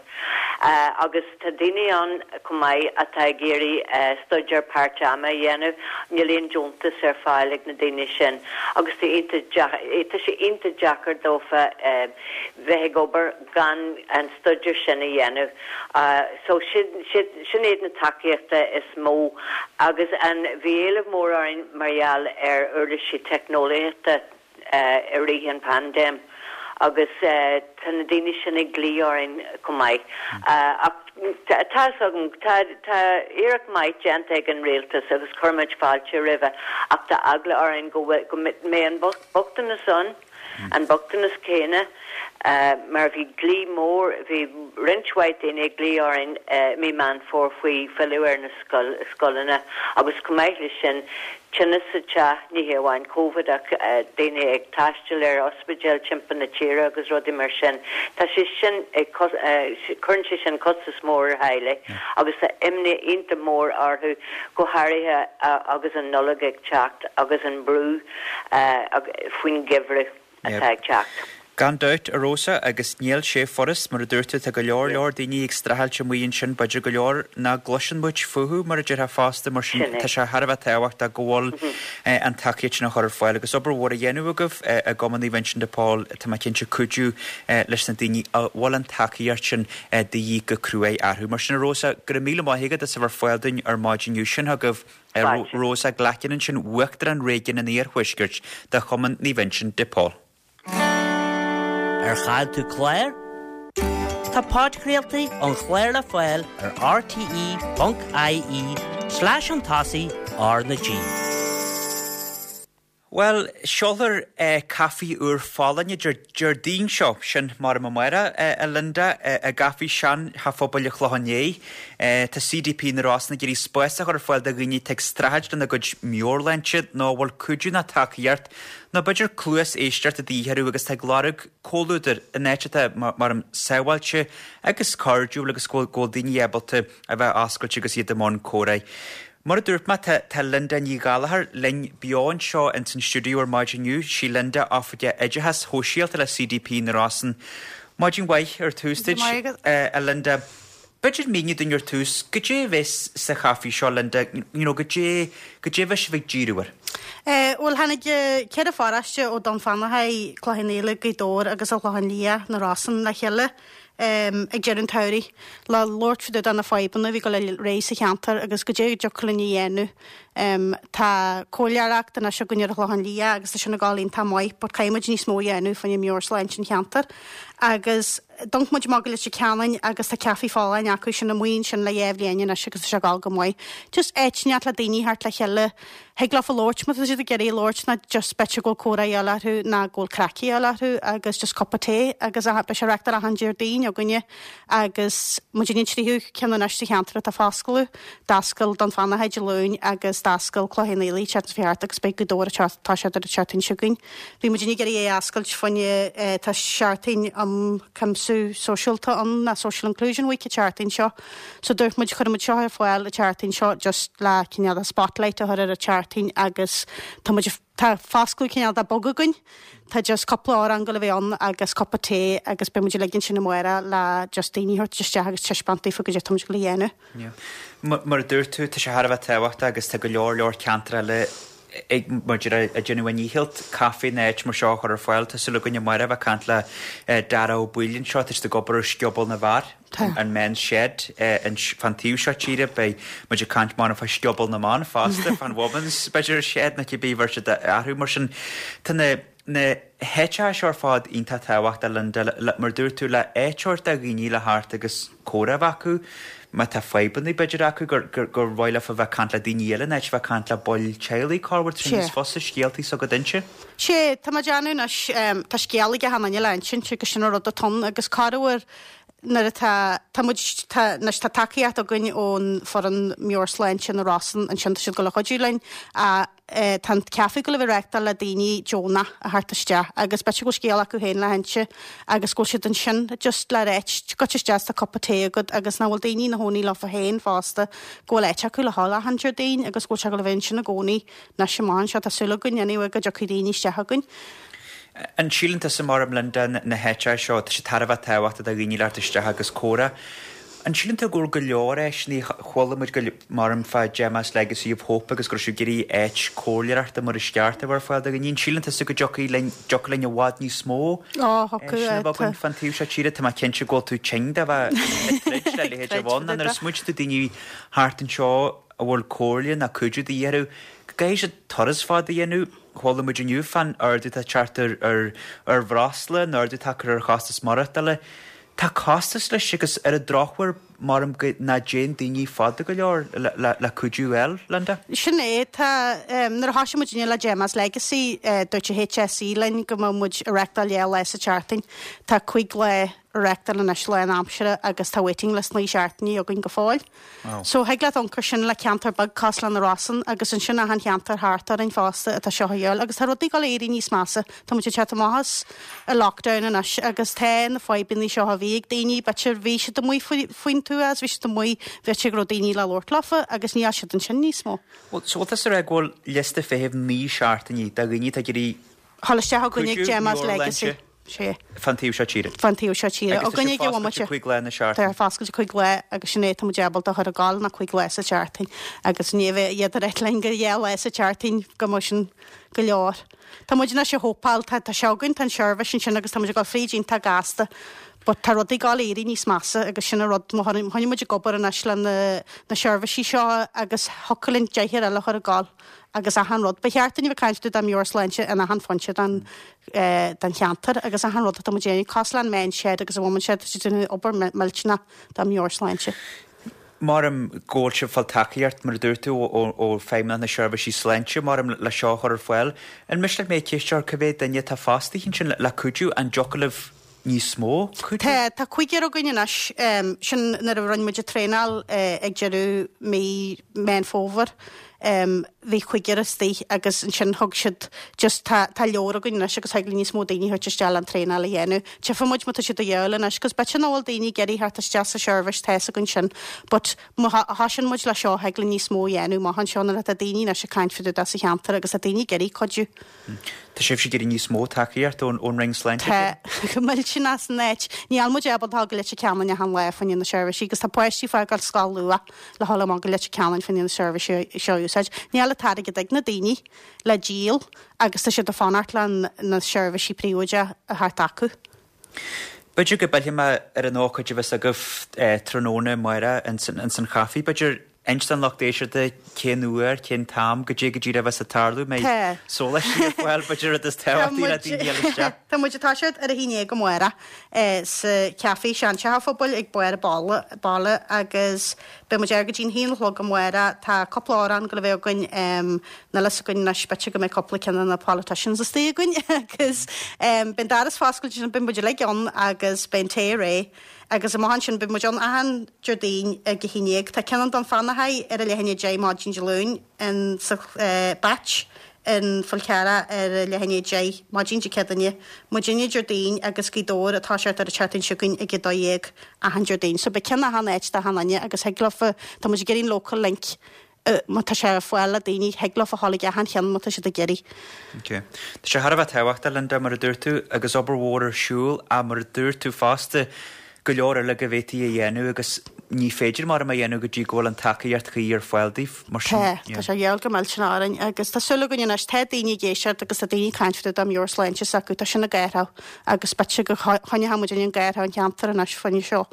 Agus tá daoine ann chomh maith atá ag iarraidh staidéar páirt-ama a dhéanamh, níl aon deontas ar fáil ag na daoine sin agus tá tá sé iontach deacair dófa bheith ag obair gan an staidéar sin a dhéanamh. So sin sin iad na tacaíochta is mó agus an bhí éileamh mór orainn mar gheall ar uirlisí teicneolaíochta. i rith an phaindéim agus tá na daoine sin ag glaoch orainn chomh maith. Ach tá fhios agam, tá tá iarracht maith déanta ag an rialtas agus cuirimid fáilte roimhe ach tá eagla orainn go bhfuil, go mbeidh an bochtanas ann, an bochtanas céanna mar bhí glaoch mór, bhí roinnt mhaith daoine ag glaoch orainn i mí Meán Fómhair faoi filleadh ar na scoileanna agus chomh maith leis sin Tinneas sa teach, ní hé amháin Covid ach daoine ag taisteal ar ospidéil timpeall na tíre agus rudaí mar sin. Tá sé sin ag, cuireann sé sin costas mór ar theaghlaigh agus tá imní iontach mór orthu, go háirithe agus an Nollaig ag teacht agus an brú faoin gheimhreadh. atá ag teacht. Gan dabht, a Rosa, agus níl sé furast, mar a dúirt tú, tá go leor leor daoine ag streachailt amuigh ansin, b'fhéidir go leor nach gcloiseann muid fúthu, mar a déarfá fosta, mar sin tá sé thar a bheith tábhachtach go bhfuil an tacaíocht sin á chur ar fáil agus obair mhór á dhéanamh agaibh i gCumann Naomh Uinseann de Pól, tá mé cinnte, cuidiú leis na daoine a bhfuil an tacaíocht sin de dhíth go cruaidh orthu. Mar sin, a Rosa, go raibh míle maith agat as a bheith ar fáil dúinn ar maidin inniu. Sin chugaibh. Rosa Glackin ansin, Uachtarán Réigiún an Iarthuaiscirt de Chumann Naomh Uinseann de Pól. Ar chaill tú clár? Tá podchraoltaí an chláir le fáil ar rte.ie slash chun tosaigh R na G. Bhuel, seolfar caife úr folláine Déardaoin seo, sin maram amárach, a Linda, i gcaife Seanteach Phobail an Chlocháin Léith. Tá CDP na Rosann ag iarraidh spás a chur ar fáil do dhaoine atá ag streachailt lena gcuid meabhairshláinte nó a bhfuil cuidiú nó tacaíocht nó b'fhéidir cluas éisteachta de dhíth orthu agus atá ag lorg comhluadar in áit atá maram sábháilte agus cairdiúil agus go bhfuil daoine ábalta a bheith oscailte agus iad i mbun comhrá. Mar a dúirt mé, tá tá Linda Ní Ghallachair linn beo anseo ins an stiúideo ar maidin inniu. Sí Linda Oifigeach Oideachais Shóisialta le CDP na Rosann. Maidin mhaith ar tús duit, a Linda. B'fhéidir míniú dúinn ar tús, goidé a bheas sa chaife seo, Linda, you know, goidé, goidé a bheas sibh ag díriú air? Bhuel, tháinig 4 pharóiste ó Dún Fionnachaidh, Cloich Cheann Fhaola, Gaoth Dobhair agus an Chlochán Liath, na Rosann le chéile. ag deireadh an tsamhraidh le labhairt fá dtaobh de na fadhbanna a bhí ag dul ar aghaidh sa cheantar agus goidé a dtiocfadh linn a dhéanamh. Tá comhairleoireacht anois againn ar an Chlochán Liath agus tá sin ag dul iontach maith but caithfidh muid níos mó a dhéanamh fá choinne meabhairshláinte an cheantair. Agus d'amharc muid amach go Leitir Ceanainn agus tá caife folláin acu sin amuigh ansin le dhá bhliain anois agus tá sé ag dul go maith. Just áit inteacht le daoine theacht le chéile Thig leofa labhairt má tá siad ag iarraidh labhairt ná just b'fhéidir go bhfuil comhrá a dhíobháil orthu ná go bhfuil craic a dhíobháil orthu agus just cupa tae agus beidh sé á reachtáil achan Déardaoin. againne agus muidinne an tríú ceann anois sa cheantar atá ag foscladh. D'oscail Dún Fionnachaidh Dé Luain agus d'oscail Cloich Cheann Fhaola an tseachtain seo thart agus beidh Gaoth Dobhair ag toiseacht ar an tseachtain seo chugainn. Bhí muidinne ag iarraidh é a oscailt fá choinne tá seachtain um cuimsiú sóisialta ann ná Social Inclusion Week an tseachtain seo. So dúirt muid chuirfidh muid seo ar fáil an tseachtain seo just le cineál de spotlight a chur ar an tseachtain agus tá muid tá foscladh cineál de beag againn. Tá just cúpla amhrán ag goil a bheith ann agus cupa tae agus beidh muid ag ligean sin amárach le just daoine a thabhairt isteach agus taispeáint daofa goidé tá muid ag goil a dhéanamh. Yeah. Mar a dúirt tú, tá sé thar a bheith tábhachtach agus tá go leor leor ceantar eile ag, mar a déarfá, ag déanamh a ndícheall caife nó áit mar seo a chur ar fáil. Tá súil againn amárach a bheith ag caint le Dara Ó Baoill anseo, tá siad ag obair ar Sciobóil na bhFear, an Men's Shed, fán taobh seo tíre. Beidh muid ag caint amárach fá Sciobóil na mBan fosta, fán Women's, b'fhéidir, Shed nó cibé a bheir siad orthu. Mar sin, tá na na háiteacha seo ar fad iontach tábhachtach, Linda, mar a dúirt tú, le áit a thabhairt do dhaoine le theacht agus comhrá a bheith acu, má tá fadhbanna b'fhéidir acu gur gur mhaith leofa bheith ag caint le daoine eile in áit a bheith ag caint le baill teaghlaigh, corruair tá sé níos fusa scéaltaí s'agat a inse. Sé, tá mé ag déanamh anois, tá scéal ag achan duine le insint agus sin an rud atá ann agus corruair nuair atá, tá muid, tá, anois tá tacaíocht againn ón foireann meabhairshláinte na Rosann ansin, tá siad ag dul a chuidiú linn ach tá an caife ag dul a bheith reáchtáil le daoine deonach a theacht isteach agus b'fhéidir go bhfuil scéal acu féin le hinse agus go bhfuil siad ansin just le ráit, goitse isteach is tá cupa tae agat agus nach bhfuil daoine ina chónaí leofa féin fosta, go bhfuil áit acu le dhul achan Déardaoin agus go bhfuil sé ag dul a bheith ansin i gcónaí anois amach anseo. Tá súil againn anyway go dtiocfaidh daoine isteach chugainn. An síleann tusa, mar Linda, na háiteacha seo, tá sé thar a bheith tábhachtach do dhaoine le theacht isteach agus comhrá. An síleann tú go bhfuil go leor áiseanna, chuala muid go maram fá Gemma's Legacy of Hope agus go raibh siad ag iarraidh áit comhairleoireachta mar is ceart a bheith ar fáil do dhaoine. An síleann tusa go dtiocfaidh linn, dtiocfaidh linn i bhfad níos mó áiseanna a bheith againn fán taobh seo tíre? Tá mé cinnte go bhfuil tú tinn de bheith ag troid le leithéid a bheith ann. Nuair a smaointíonn tú daoine thart anseo a bhfuil comhairle ná cuidiú de dhíth orthu, go gcaithfidh siad turas fada a dhéanamh. Chuala muid inniu fán ardú atá ag teacht ar ar bhreosla, an ardú atá curtha ar chostas maireachtála. Tá costas leis agus ar an drochuair maram go ná dtéann daoine fada go leor le cuidiú a fháil, Linda. Sin é, tá, nuair a thoisigh muidinne le Gemma's Legacy, dúirt an HSE linn go mbeadh muid ag reachtáil 2 lá sa tseachtain. Tá 5 lá a reachtáil anois lán aimsire agus tá waiting list 9 seachtainí againn go fóill. So thig leat amharc air sin le ceantar beag cosúil le na Rosann agus ansin achan cheantar thart orainn fosta atá seo a dhíobháil agus tá rudaí ag dul a éirí níos measa. Tá muid ag teacht amach as an lockdown anois agus tá na fadhbanna seo a bhí ag daoine, b'fhéidir bhí siad amuigh faoin tuath agus bhí siad amuigh, b'fhéidir go raibh daoine le labhairt leofa agus níl siad ansin níos mó. Bhuel, so bhfuil tusa ag rá go bhfuil liosta feithimh 9 seachtainí de dhaoine atá ag iarraidh Dhul isteach againn ag Gemma's Legacy. Sé. Fán taobh seo tíre. Fán taobh seo tíre. Agus tá sé foscailte 5 lá na seachtaine. Tá foscailte 5 lá agus sin é tá muid ábalta a chur ag gabháil ná 5 lá sa tseachtain agus ní bheidh iad ag ráit linn gur 2 lá sa tseachtain go mbeadh sin go leor. Tá muid anois ag hópáil, tá tá sé againn, tá an seirbhís ansin agus tá muid ag dul fríd iontach gasta but tá rudaí ag gabháil a éirí níos measa agus sin an rud, má choinnigh muid ag obair anois le na na seirbhísí seo agus thiocfadh linn deichniúr eile a chur ag gabháil agus achan rud. Ba cheart dúinn a bheith ag caint dá meabhairshláinte in achan phointe den den cheantar agus achan rud atá muid a dhéanamh, cosúil le an Men's Shed agus an Women's Shed, tá siad ag déanamh obair millteanach dá meabhairshláinte. Maram go bhfuil sibh ag fáil tacaíocht, mar a dúirt tú, ó Feidhmeannacht na Seirbhísí Sláinte, maram le seo a chur ar fáil. An miste leat mé ceist a chur, cá mhéad duine atá fostaithe ansin le cuidiú? An dtiocfadh libh níos mó cuidiú? Tá, tá cúigear againn anois. Sin nuair a rinne muid an traenáil ag deireadh mí Meán Fómhair. Bhí cúigear istigh agus ansin thug siad just tá tá leor againn anois agus thig le níos mó daoine a thabhairt isteach le an traenáil a dhéanamh. Tchífidh muid má tá siad a dhíobháil anois 'cause b'fhéidir nach bhfuil daoine ag iarraidh theacht isteach sa seirbhís tá's againn sin but má thosaíonn muid le seo thig le níos mó a dhéanamh amach anseo nuair atá daoine anois ag caint fá dtaobh de sa cheantar agus tá daoine ag iarraidh cuidiú. Tá sibhse ag iarraidh níos mó tacaíocht ón Roinn Sláinte? Tá, go millteanach san áit. Níl muid ábalta dul go Leitir Ceanainn achan lá fá choinne na seirbhísí agus tá páistí ag fágáil scoil luath le dhul amach go Leitir Ceanainn fá choinne na seirbhísí seo a úsáid. Níl an t-airgead ag na daoine le díol agus tá siad ag fanacht le na seirbhísí príobháideacha a theacht acu. B'fhéidir go bpillfidh mé ar an ócáid a bheas agaibh tráthnóna amárach ins an chaife. B'fhéidir inis don lucht éisteachta cén uair, cén t-am, goidé go díreach a bheas ag tarlú, mbeidh sóláistí ar fáil, b'fhéidir rud is tábhachtaí le daoine a fháil isteach. Tá muid ag toiseacht ar a haon dhéag amárach sa chaife, seanteach an phobail ag barr an bhaile agus. Beidh muid ar go dtí'n haon a chlog amárach. Tá cúpla amhrán ag goil a bheith againn, níl fhios againn anois, b'fhéidir go mbeidh cúpla ceann de na politicians istigh againn agus beidh an doras foscailte ansin, beidh muid uilig ann agus beidh an tae réidh agus amach ansin beidh muid ann achan Déardaoin ag a haon dhéag. Tá ceann i nDún Fionnachaidh ar a leath i ndiaidh a deich maidin Dé Luain in sa Batch in Fál Carrach ar a leath i ndiaidh a deich maidin Dé Céadaoine. Muidinne Déardaoin agus Gaoth Dobhair ag toiseacht ar an tseachtain seo chugainn ag a 12 achan Déardaoin. So beidh ceann achan áit d'achan duine agus thig leofa, tá muid ag iarraidh an local link má tá sé ar fáil le daoine, thig leofa a ghabháil ag achan cheann má tá siad ag iarraidh. Ok. Tá sé thar a bheith tábhachtach, Linda, mar a dúirt tú, agus obair mhór ar siúl ach mar a dúirt tú fosta, go leor eile go bhféadfaí a dhéanamh agus ní féidir maram a dhéanamh go dtí go bhfuil an tacaíocht chuí ar fáil daoibh, mar sin. Tá, tá sé gheall go millteanach orainn agus tá súil againn anois, tá daoine ag éisteacht agus tá daoine ag caint fá dtaobh dá meabhairshláinte s'acu, tá sin ag athrú agus b'fhéidir go choinneoidh muid an athrú an cheantar anois faoin seo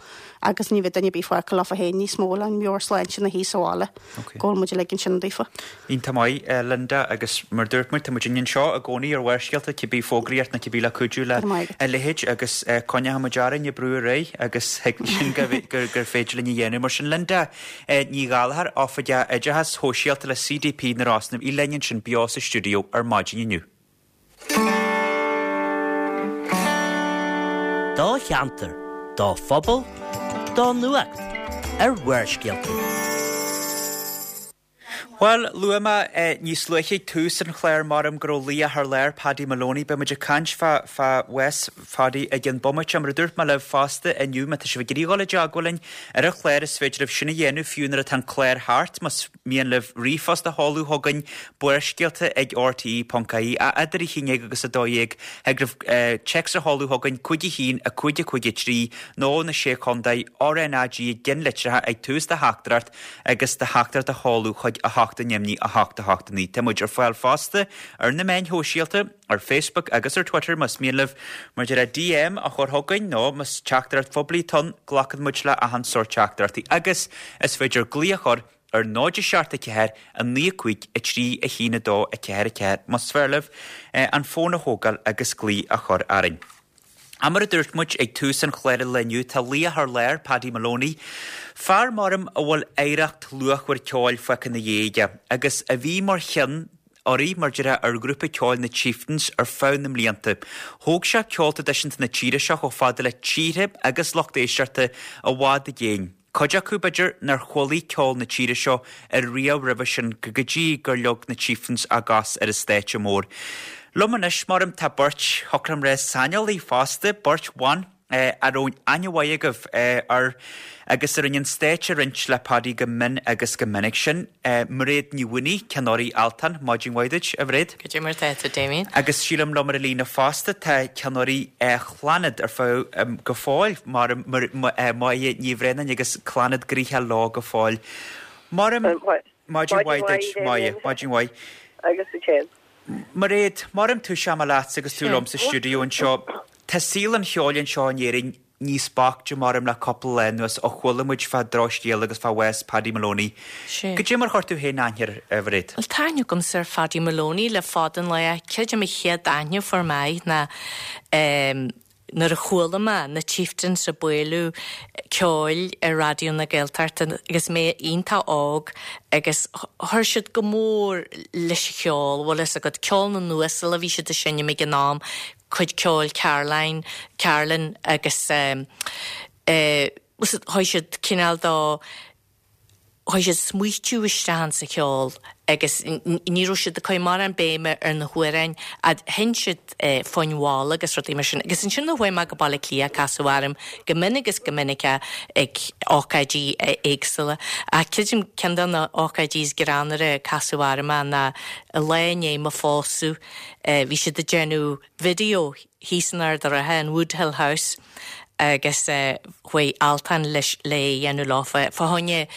agus ní bheidh duine ar bith fágtha leofa féin níos mó le meabhairshláinte ina shuí sa bhaile go bhfuil muid uilig ansin daofa. Iontach maith, Linda, agus mar a dúirt muid, tá muid anseo i gcónaí ar Bharrscéalta, cibé fógraíocht nó cibé le cuidiú le a leithéid agus coinneoidh muid orainn ag brú ar aghaidh agus thig sin gur féidir linn a dhéanamh. Mar sin, Linda Ní Ghallchóir, Oifigeach Oideachais Shóisialta le CDP na Rosann, í linn ansin beo sa stiúideo ar maidin inniu. Do cheantar, do phobal, do nuacht ar Bharrscéalta. Bhuel, luaigh mé níos luaithe ag tús an chláir maram go raibh laoch thar lear, Paddy Moloney. Beidh muid ag caint fá fá bhás Phaddy i gcionn bomaite. Mar a dúirt mé libh fosta inniu, má tá sibh ag iarraidh dhul i dteagmháil linn ar an chlár is féidir libh sin a dhéanamh fiú nuair atá an clár thart. Más mian libh ríomhphost a sheoladh chugainn, barrscéalta ag rte ponc ie. Idir a haon dhéag agus a dó dhéag, thig libh téacs a sheoladh chugainn, 5 1 5 5 3 nó na Sé Chontae, RNAG i gceannlitreacha ag tús do theachtaireacht. agus do theachtaireacht a sheoladh chuig 8 9 8 8 9. Tá muid ar fáil fosta ar na meáin shóisialta, ar Facebook agus ar Twitter más mian libh mar a déarfá DM a chur chugainn nó más teachtaireacht phoiblí atá ann, glacann muid le achan sórt teachtaireachtaí agus is féidir glaoch a chur ar 0 7 4 9 5 3 1 2 4 4 más fearr libh an fón a thógáil agus glaoch a chur orainn. Ach mar a dúirt muid ag tús an chláir an lae inniu, tá laoch thar lear, Paddy Moloney, fear maram a bhfuil oidhreacht luachmhar ceoil fágtha ina dhiaidh aige, agus a bhí mar cheann urraí, mar déarfá, ar ghrúpa ceoil na Chieftains ar feadh na mblianta. Thóg sé ceol traidisiúnta na tíre seo chomh fada le tíortha agus lucht éisteachta i bhfad i gcéin. Cuid acu, b'fhéidir, nár chualaigh ceol na tíre seo ariamh roimhe sin go dtí gur leag na Chieftains a gcos ar an stáitse mór. Liom anois, maram, tá beirt, thiocfadh liom rá, saineolaí fosta, beirt bhan a raibh aithne mhaith agaibh air agus a rinne an stáitse a roinnt le Paddy go mion agus go minic. Sin Mairéad Ní Mhaonaigh, Ceann Urraí Altan. Maidin mhaith duit, a Mhairéad. Cad é mar atá tú, Damien? Agus sílim liom ar an líne fosta tá Ceann Urraí Chlannad ar feadh go fóill, maram, Máire Ní Bhraonáin agus Clannad gnoitheach leo go fóill. Maram, maidin mhaith duit, Máire, maidin mhaith. Agus duit féin. Mairéad, maram tosóidh mé leatsa agus tú liom sa stiúideo anseo. Tá saol an cheoil anseo in Éirinn níos boichte maram le cúpla lá anuas ó chuala muid fá drochscéal agus fá bhás Paddy Moloney. Cad é mar chuir tú féin aithne air, a Mhairéad? Bhuel, tá aithne agamsa ar Phaddy Moloney le fada an lá. Creidim an chéad aithne a fuair mé air ná nuair a chuala mé na Chieftains ag bualadh ceoil ar Raidió na Gaeltachta agus mé iontach óg agus chuir siad go mór leis an cheol, bhfuil fhios agat, ceol na n-uasal a bhí siad ag seinm ag an am, cuid ceoil Caroline, Carlin agus eh chuir siad cineál de, chuir siad smaoitiú isteach insa cheol agus ní raibh siad ag cur mórán béime ar na hamhráin fhad sheinn siad foinn mhalla agus rudaí mar sin. Agus ansin nuair a chuaigh mé go Baile Átha Cliath casadh orm go mion agus go minic é ag ócáidí éagsúla. Ach creidim ceann de na hócáidí is greannmhaire a casadh orm é ná lá i ndiaidh mo phósadh Bhí siad ag déanamh video thíos in Ard a' Rátha, in Woodhill House, agus chuaigh Altan leis le é a dhéanamh leofa. Fá choinne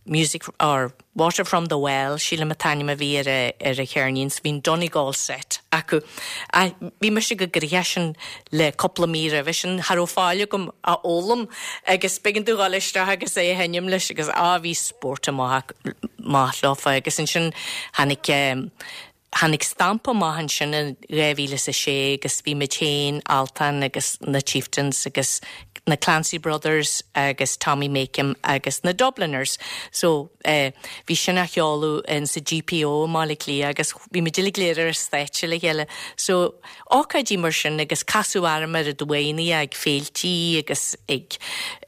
Music or Water from the Well, sílim an t-ainm a bhí ar a ar a cheirnín, so bhí an Donegal set acu. Ach bhí mise chomh gnoitheach sin le cúpla mí roimhe sin, cha raibh faill agam a fhoghlaim agus b'éigean domh dhul isteach agus é a sheinm leis agus á bhí spórt amach maith leofa agus ansin tháinig tháinig Stampa amach ansin in 2006 agus bhí muid féin, Altan agus na Chieftains agus na. na Clancy Brothers agus Tommy Makem agus na Dubliners. So eh bhí sin á sheoladh in sa GPO i mBaile Átha Cliath agus bhí muid uilig go léir ar an stáitse le chéile. So ócáidí mar sin agus casadh orm oiread uaireanna ag féiltí agus ag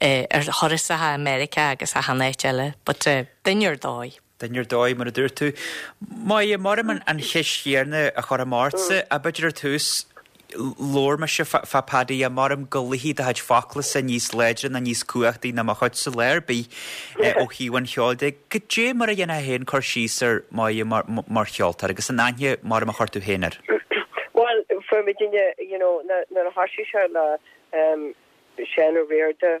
eh ar thurasacha i Meiriceá agus achan áit eile but eh duine ar dóigh. Duine ar dóigh, mar a dúirt tú. Máire, maram an cheist chéanna a chur amach ortsa, ach b'fhéidir ar tús, labhair mise fá Paddy, maram go luífidh do chuid foclasa níos láidre ná níos cumhachtaí ná mo chuidse lá ar bith ó thaobh an cheoil de. Goidé mar a dhéanfá féin cur síos ar Máire mar cheoltóir agus an aithne maram a chuir tú féin air? Bhuel, fuair muidinne, you know, nuair a thoisigh sé le Seán Ó Riada,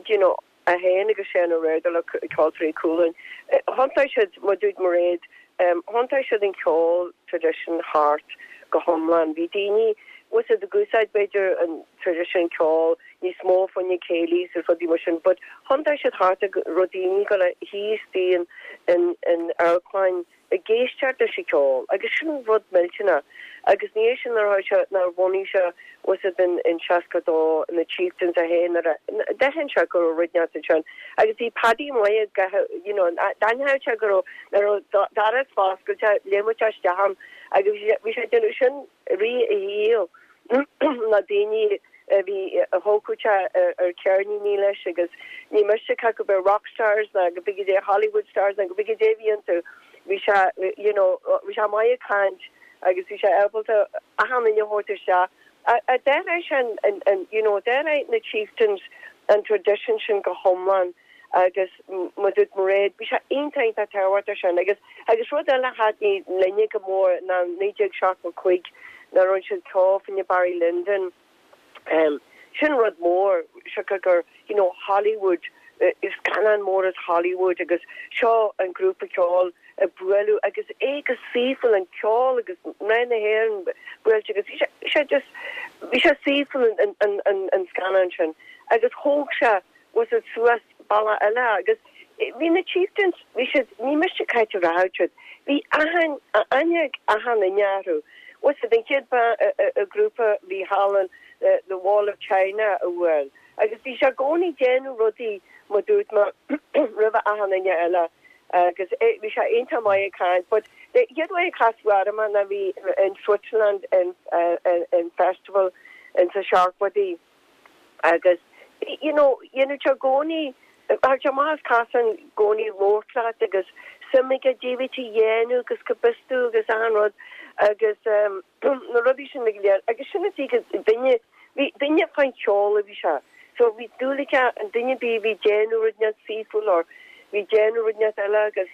you know, É féin agus Seán Ó Riada le Ceoltóirí Chualann. Thiontaigh siad, mar dúirt Mairéad, thiontaigh siad an ceol traidisiún thart go hiomlán. Bhí daoine, bhfuil a fhios a'd, ag úsáid b'fhéidir an traidisiún ceol níos mó fá choinne céilís agus rudaí mar sin but thiontaigh siad thart go raibh daoine ag dul a shuí istigh in in amharclann ag éisteacht leis an cheol agus sin rud millteanach agus ina dhiaidh sin nuair a sé nuair a bhunaigh sé bhfuil a fhios a'd in in 62 na Chieftains é féin nuair a d'aithin sé go raibh rud inteacht ansin agus bhí Paddy maith ag you know d'aithneodh sé go raibh nuair a raibh doras foscailte léimfeadh sé isteach ann agus bhí sé ag déanamh sin i rith a shaoil na daoine a bhí a thógfadh sé ar ceirníní leis agus ní miste cé acu b'é rock stars ná go b'fhéidir é Hollywood stars ná go b'fhéidir é a bhí iontu bhí sé you know bhí sé maith ag caint agus bhí sé ábalta achan duine a thabhairt isteach. A d'athraigh sé an an you know d'athraigh na Chieftains an tradition sin go hiomlán agus mar dúirt Mairéad bhí sé iontach iontach tábhachtach sin agus agus rud eile a thaitnigh linne go mór ná 1975 nuair a rinne siad ceol fá choinne Barry Lyndon sin rud mór siocair gur you know Hollywood scannán mór as Hollywood agus seo an grúpa ceoil ag bualadh agus é go saoithiúil an ceol agus mná na hÉireann buailte agus bhí sé bhí sé just bhí sé saoithiúil an an an an scannán sin agus thóg sé bhfuil a fhios a'd suas bealach eile agus bhí na Chieftains, bhí siad, ní miste cá háit a rachadh siad, bhí achan, aithne ag achan duine orthu. Bhfuil a fhios a'd an chéad grúpa a bhí thall in the Wall of China a bhuail agus bhí sé i gcónaí ag déanamh rudaí mar dúirt mé roimhe achan duine eile agus bhí sé iontach maith ag caint but the chéad uair a casadh orm é ná bhí in Switzerland in in festival in sa seachtóidí. Agus, you know, dhéanadh sé i gcónaí, thagadh sé amach as casán i gcónaí ag labhairt leat agus suim aige goidé a bhí tú a dhéanamh agus cá bhfios tú agus achan rud agus na rudaí sin go léir. Agus sin an tuige duine, bhí duine fán cheol a bhí sé. So bhí dúil aige an duine ar bith a bhí ag déanamh rud inteacht saoithiúil or bhí ag déanamh rud inteacht eile agus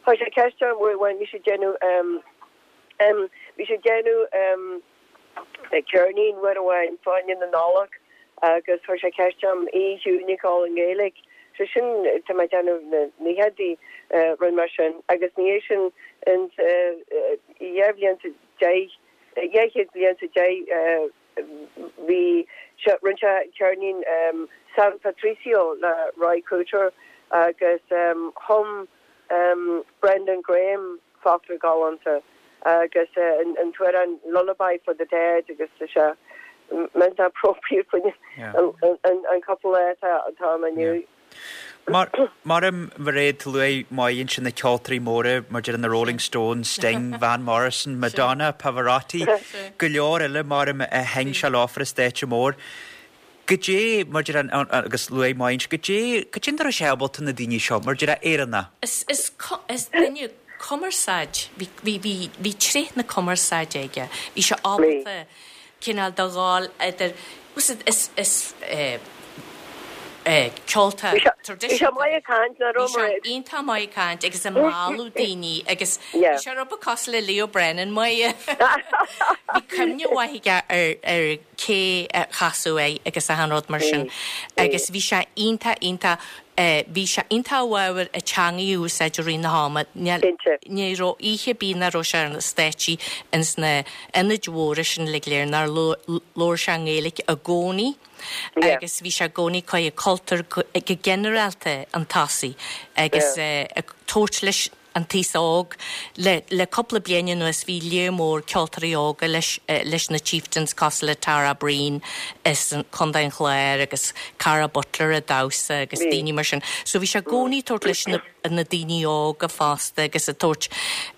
chuir sé ceist orm uair amháin, bhí sé ag déanamh, bhí sé ag déanamh, ceirnín uair amháin fá choinne na Nollag agus chuir sé ceist orm oíche chiúin a cheol i nGaeilge. So sin, tá mé ag déanamh na naochadaí, rud mar sin agus ina dhiaidh sin ins 2 bhliain 's 10, 200 bliain 's 10 bhí sé, rinne sé ceirnín San Patricio le Ry Cooder agus chum Brendan Graham focla galánta agus an t-amhrán Lullaby for the Dead agus tá sé millteanach appropriate faoin an cúpla lá atá ann inniu. Mar a Mhairéad luaigh Máire ansin na ceoltóirí móra mar deir na Rolling Stones, Sting, Van Morrison, Madonna, Pavarotti, go leor eile mar a sheinn sé leofa ar an stáitse mór. Goidé, mar deir an, agus luaigh Máire, goidé, goidé nach raibh sé ábalta na daoine seo, mar deir Éireannach. Is, is, is duine cumarsáid, bhí, bhí, bhí, bhí tréith na cumarsáide aige. Bhí sé ábalta cineál de ghabháil idir, is, is, is eh, eh, ceoltóir Bhí sé, bhí sé maith ag caint, nach raibh Bhí sé Mairéad? iontach maith ag caint agus ag mealladh daoine agus bhí sé rud beag cosúil le Leo Brennan, Máire. Bhí cuimhne mhaith aige ar, ar cé a chasadh air agus achan rud mar sin agus bhí sé iontach iontach bhí sé iontach i bhfabhar an teangaidh a úsáid i rith na hama. Ní raibh oíche ar bith nach raibh sé ar na stáitsí ins na ionaid mhóra sin uilig go léir nár labhair sé i nGaeilge i gcónaí agus bhí sé i gcónaí ag cothú cultúr go ginearálta an tosaigh agus ag tabhairt leis. an t-aos óg. Le le cúpla bliain anuas bhí léar mór ceoltóirí óga leis leis na Chieftains cosúil le Tara Breen as Contae an Chláir agus Cara Butler ag damhsa agus daoine mar sin. So bhí sé i gcónaí ag tabhairt leis na na daoine óga fosta agus ag tabhairt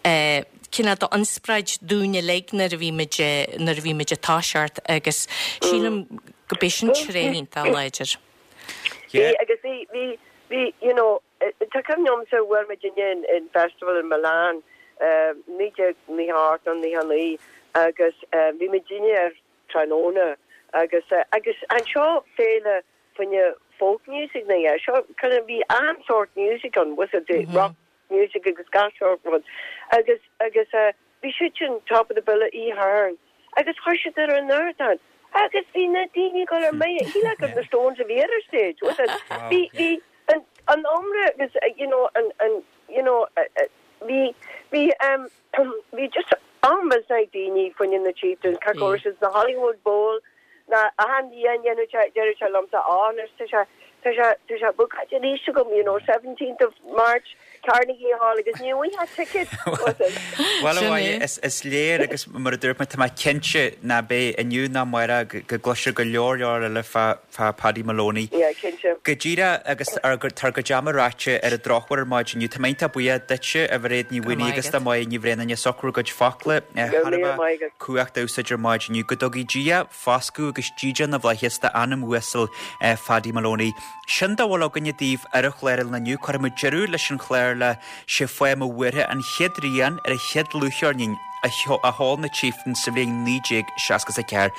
eh cineál d'ionspráid dúinn uilig nuair a bhí muid nuair a bhí muid ag toiseacht agus sílim go b'é sin tréith iontach láidir. Bhí agus bhí bhí bhí you know Tá cuimhne agamsa bhuail muidinne in in festival in Milan 1998 nó 99 agus bhí muidinne ar tráthnóna agus agus anseo féile fá choinne folk music nó yeah seo kind of bhí achan sórt music ann was it rock music agus gach sórt rud agus agus bhí siad sin top of the bill oíche Shathairn agus chuir siad ar an ardán agus bhí na daoine ag dul ar mire shílfeá gur na Stones a bhí ar an stage was it bhí bhí an an iomra agus you know an an you know bhí bhí um bhí just an-mhisneach ag daoine fá choinne na Chieftains cá gcuir siad na Hollywood Bowl na achan bhliain dhéanadh sé deireadh sé liomsa á anois tá sé tá sé tá sé bookáilte arís agam you know 17th of March Carnegie Hall agus ní bhfaighfeá ticket was it? Bhuel a Sin Mháire, é. is is léir agus mar a dúirt mé tá mé cinnte ná beidh inniu ná amárach go go gcloisfear go leor leor eile fá fá Paddy Moloney. Yeah, cinnte. Go díreach agus ár tá ár gcuid ama ráite ar an drochuair ar maidin inniu. Tá mé iontach buíoch duitse a Mhairéad Ní Go raibh Mhaonaigh maith agus do agat. Mháire Ní Bhraonáin as ucht bhur gcuid focla Go raibh thar a míle bheith maith agat. cumhacht a úsáid ar maidin inniu. Go dtugaidh Dia foscadh agus dídean na bhflaitheas d'anam uasal Phaddy Moloney. Sin dá bhfuil againne daoibh ar an chlár inniu. Cuirfidh muid deireadh leis an chlár le 'Sé Fáth Mo Bhuartha an chéad rian ar an chéad dlúthcheirnín a sheol na Chieftains sa bhliain 1964.